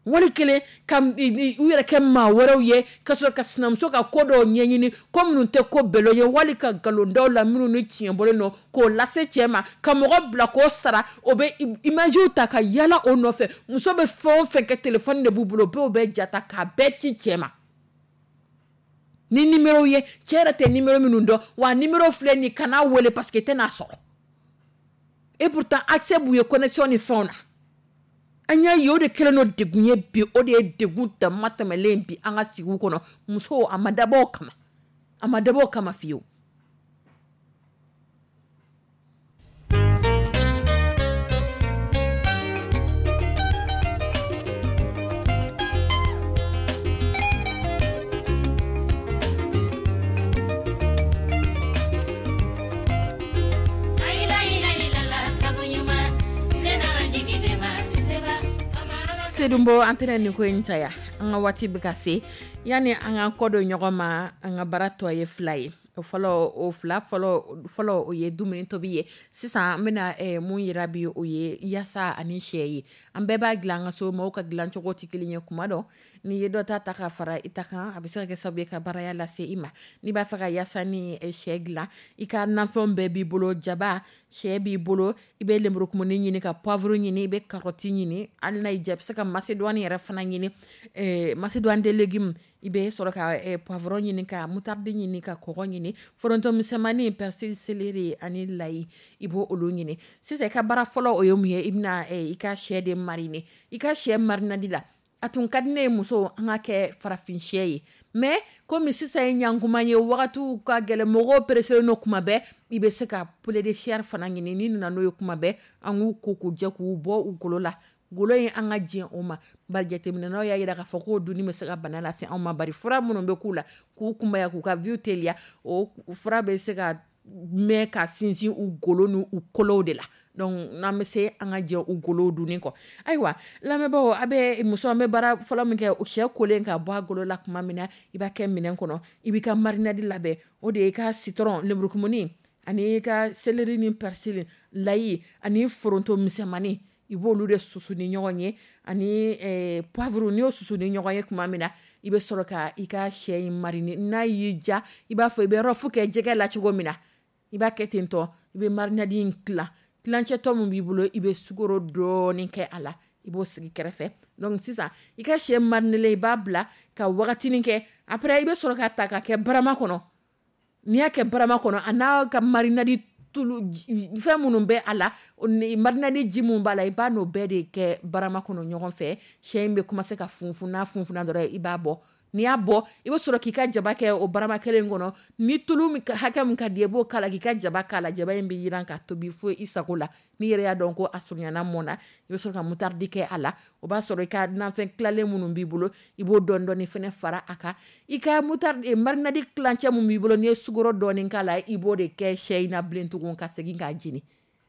wali kelen ka u yɛrɛ kɛ maa wɛrɛw ye, ka sɔrɔ ka sinamuso ka ko dɔw ɲɛɲini, ko minnu tɛ ko bɛlɔ ye, wali ka nkalon la minnu ni tiɲɛ bɔlen don k'o lase cɛ ma, ka mɔgɔ bila k'o sara, o bɛ imagew ta ka yala o nɔfɛ. Muso bɛ fɛn o fɛn kɛ, telefɔni de b'u bolo, bɛɛ bɛ jata k'a bɛɛ ci cɛ ma ni numéro ye, cɛ yɛrɛ tɛ numéro minnu dɔn, wa numéro filɛ nin, kana wele parce que i tɛna sɔrɔ. Et pourtant accès b'u ye connexion ni fɛnw na. An y'a ye o de kɛlen don degun ye bi, o de ye degun dama tɛmɛlen bi an ka sigiw kɔnɔ. Musow, a ma dabɔ o kama, a ma dabɔ o kama fiyewu. Sedumbo, an tɛna nin ko in caya, an ka waati bɛ ka se. Yanni an ka kɔ don ɲɔgɔn ma, an ka baara tɔ ye fila ye. O fɔlɔ, o fila fɔlɔ fɔlɔ, o ye dumuni tobi ye. Sisan an bɛna mun yira bi, o ye yaasa ani sɛ ye. An bɛɛ b'a dilan an ka so, maaw ka dilancogo tɛ kelen ye. Kuma dɔ n'i ye dɔ ta ta ka fara i ta kan, a bɛ se ka kɛ sababu ye ka baaraya lase i ma. N'i b'a fɛ ka yaasa ni sɛ dilan, i ka nafɛnw bɛɛ b'i bolo, jaba, sɛ b'i bolo, i bɛ lenburukumuni ɲini, ka poivre ɲini, i bɛ carotte ɲini, hali n'a y'i diya i bɛ se ka macédoine yɛrɛ fana ɲini, macédoine de légumes, i bɛ sɔrɔ ka poivron ɲini, ka moutarde ɲini, ka kɔgɔ ɲini, foronto misɛnmanin, persil, céleri ani layi, i b'o olu ɲini. Sisan i ka baara fɔlɔ o ye mun ye, i bɛna i ka sɛ de mariner. I ka sɛ marinadi la, a tun ka di ne ye muso an ka kɛ farafin sɛ ye, mais komi sisan ye ɲankuma ye, wagatiw ka gɛlɛn, mɔgɔw pressé don kuma bɛɛ, i bɛ se ka poulet de chair fana ɲini. N'i nana n'o ye kuma bɛɛ, an k'u ko k'u jɛ k'u bɔ u golo la. Golo in an ka jɛn o ma, bari jateminɛnaw y'a jira k'a fɔ k'o dunni bɛ se ka bana lase anw ma, bari fura minnu bɛ k'u la k'u kunbaya k'u ka vie teliya, o fura bɛ se ka mɛn ka sinsin u golo n'u kolow de la. Donc n'an bɛ se an ka jɛ u golow dunni kɔ. Ayiwa lamɛnbaaw, a bɛ muso, an bɛ baara fɔlɔ min kɛ, sɛ kolen ka bɔ a golo la tuma min na, i b'a kɛ minɛn kɔnɔ, i b'i ka marinade labɛn. O de ye i ka citron, lenburukumuni ani i ka céleri ni persil, layi ani foronto misɛnmanin. I b'olu de susu ni ɲɔgɔn ye ani poivre. N'i y'o susu ni ɲɔgɔn ye tuma min na, i bɛ sɔrɔ ka i ka sɛ in mariner. N'a y'i diya, i b'a fɔ i bɛ rof kɛ jɛgɛ la cogo min na, i b'a kɛ ten tɔ. I bɛ marinade in tila tilancɛtɔ min b'i bolo, i bɛ sukaro dɔɔnin kɛ a la, i b'o sigi kɛrɛfɛ. Donc sisan, i ka sɛ mariner, i b'a bila ka wagatinin kɛ. Après, i bɛ sɔrɔ ka ta ka kɛ barama kɔnɔ. N'i y'a kɛ barama kɔnɔ, a n'a ka marinade tulu fɛn minnu bɛ a la, marinade ji min b'a la, i b'a n'o bɛɛ de kɛ barama kɔnɔ ɲɔgɔn fɛ. Sɛ in bɛ commencer ka funfun. N'a funfunna dɔrɔn, i b'a bɔ. N'i y'a bɔ, i bɛ sɔrɔ k'i ka jaba kɛ o barama kelen kɔnɔ. Ni tulu hakɛ min ka di, i b'o k'a la, k'i ka jaba k'a la. Jaba in bɛ yiran ka tobi fo i sago la. N'i yɛrɛ y'a dɔn ko a surunyana, mɔnna, i bɛ sɔrɔ ka moutarde kɛ a la. O b'a sɔrɔ i ka nafɛn tilalen minnu b'i bolo, i b'o dɔɔni dɔɔni fɛnɛ fara a kan. I ka moutarde marinade tilancɛ min b'i bolo, n'i ye sukaro dɔɔni k'a la, i b'o de kɛ sɛ in na bilen tugun, ka segin k'a jeni.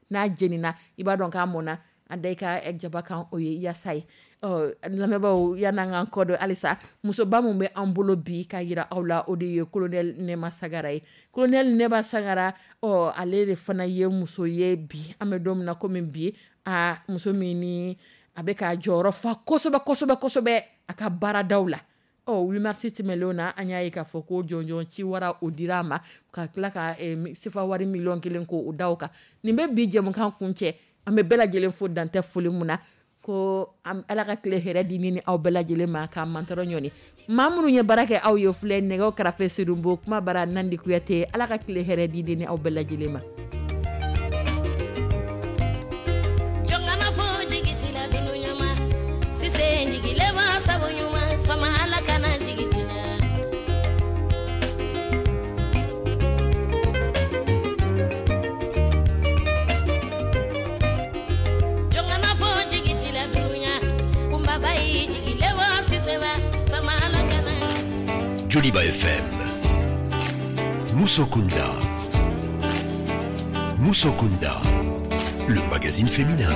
N'a jenina, i b'a dɔn k'a mɔnna. A da i ka jaba kan, o ye yaasa ye. Ɔ, lamɛnbaaw, yan'an k'an kɔ don halisa, musoba min bɛ an bolo bi ka yira aw la, o de ye colonel Nɛma Sagara ye. Colonel Nɛma Sagara, ɔ, ale de fana ye muso ye bi, an bɛ don min na komi bi, a muso min ni a bɛ ka jɔyɔrɔ fa kosɛbɛ kosɛbɛ kosɛbɛ a ka baaradaw la. Ɔ, 8 mars tɛmɛnlenw na, an y'a ye k'a fɔ ko jɔnjɔn ci wara, o dira a ma, ka tila ka sefa wari miliyɔn 1 ko o da o kan. Nin bɛ bi jɛmukan kun cɛ. An bɛ bɛɛ lajɛlen fo, dantɛ foli mun na ko Ala ka tile hɛrɛ di ni aw bɛɛ lajɛlen ma, k'a mantɔrɔ ɲɔni. Maa minnu ye baara kɛ aw ye filɛ nɛgɛw kɛrɛfɛ, Sedonbo kuma bara Nandi Kuyate. Ala ka tile hɛrɛ di ni aw bɛɛ lajɛlen ma. Joliba FM, Musokunda. Musokunda, le magazine féminin.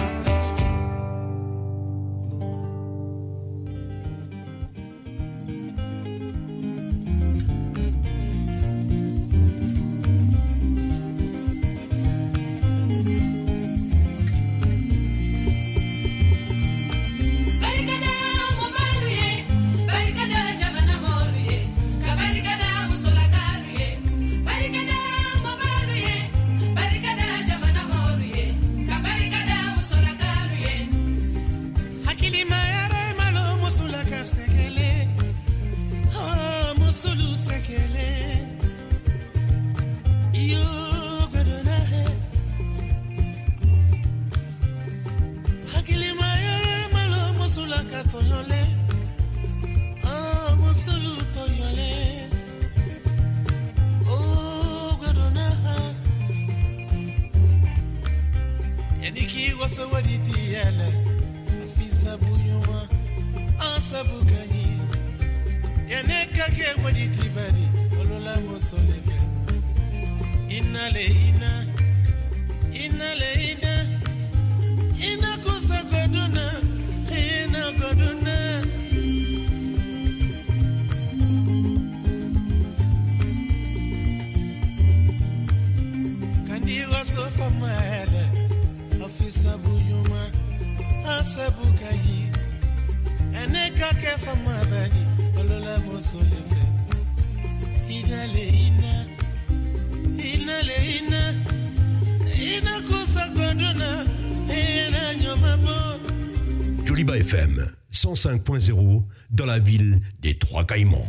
Joliba FM 105.0 dans la ville des Trois Caïmans.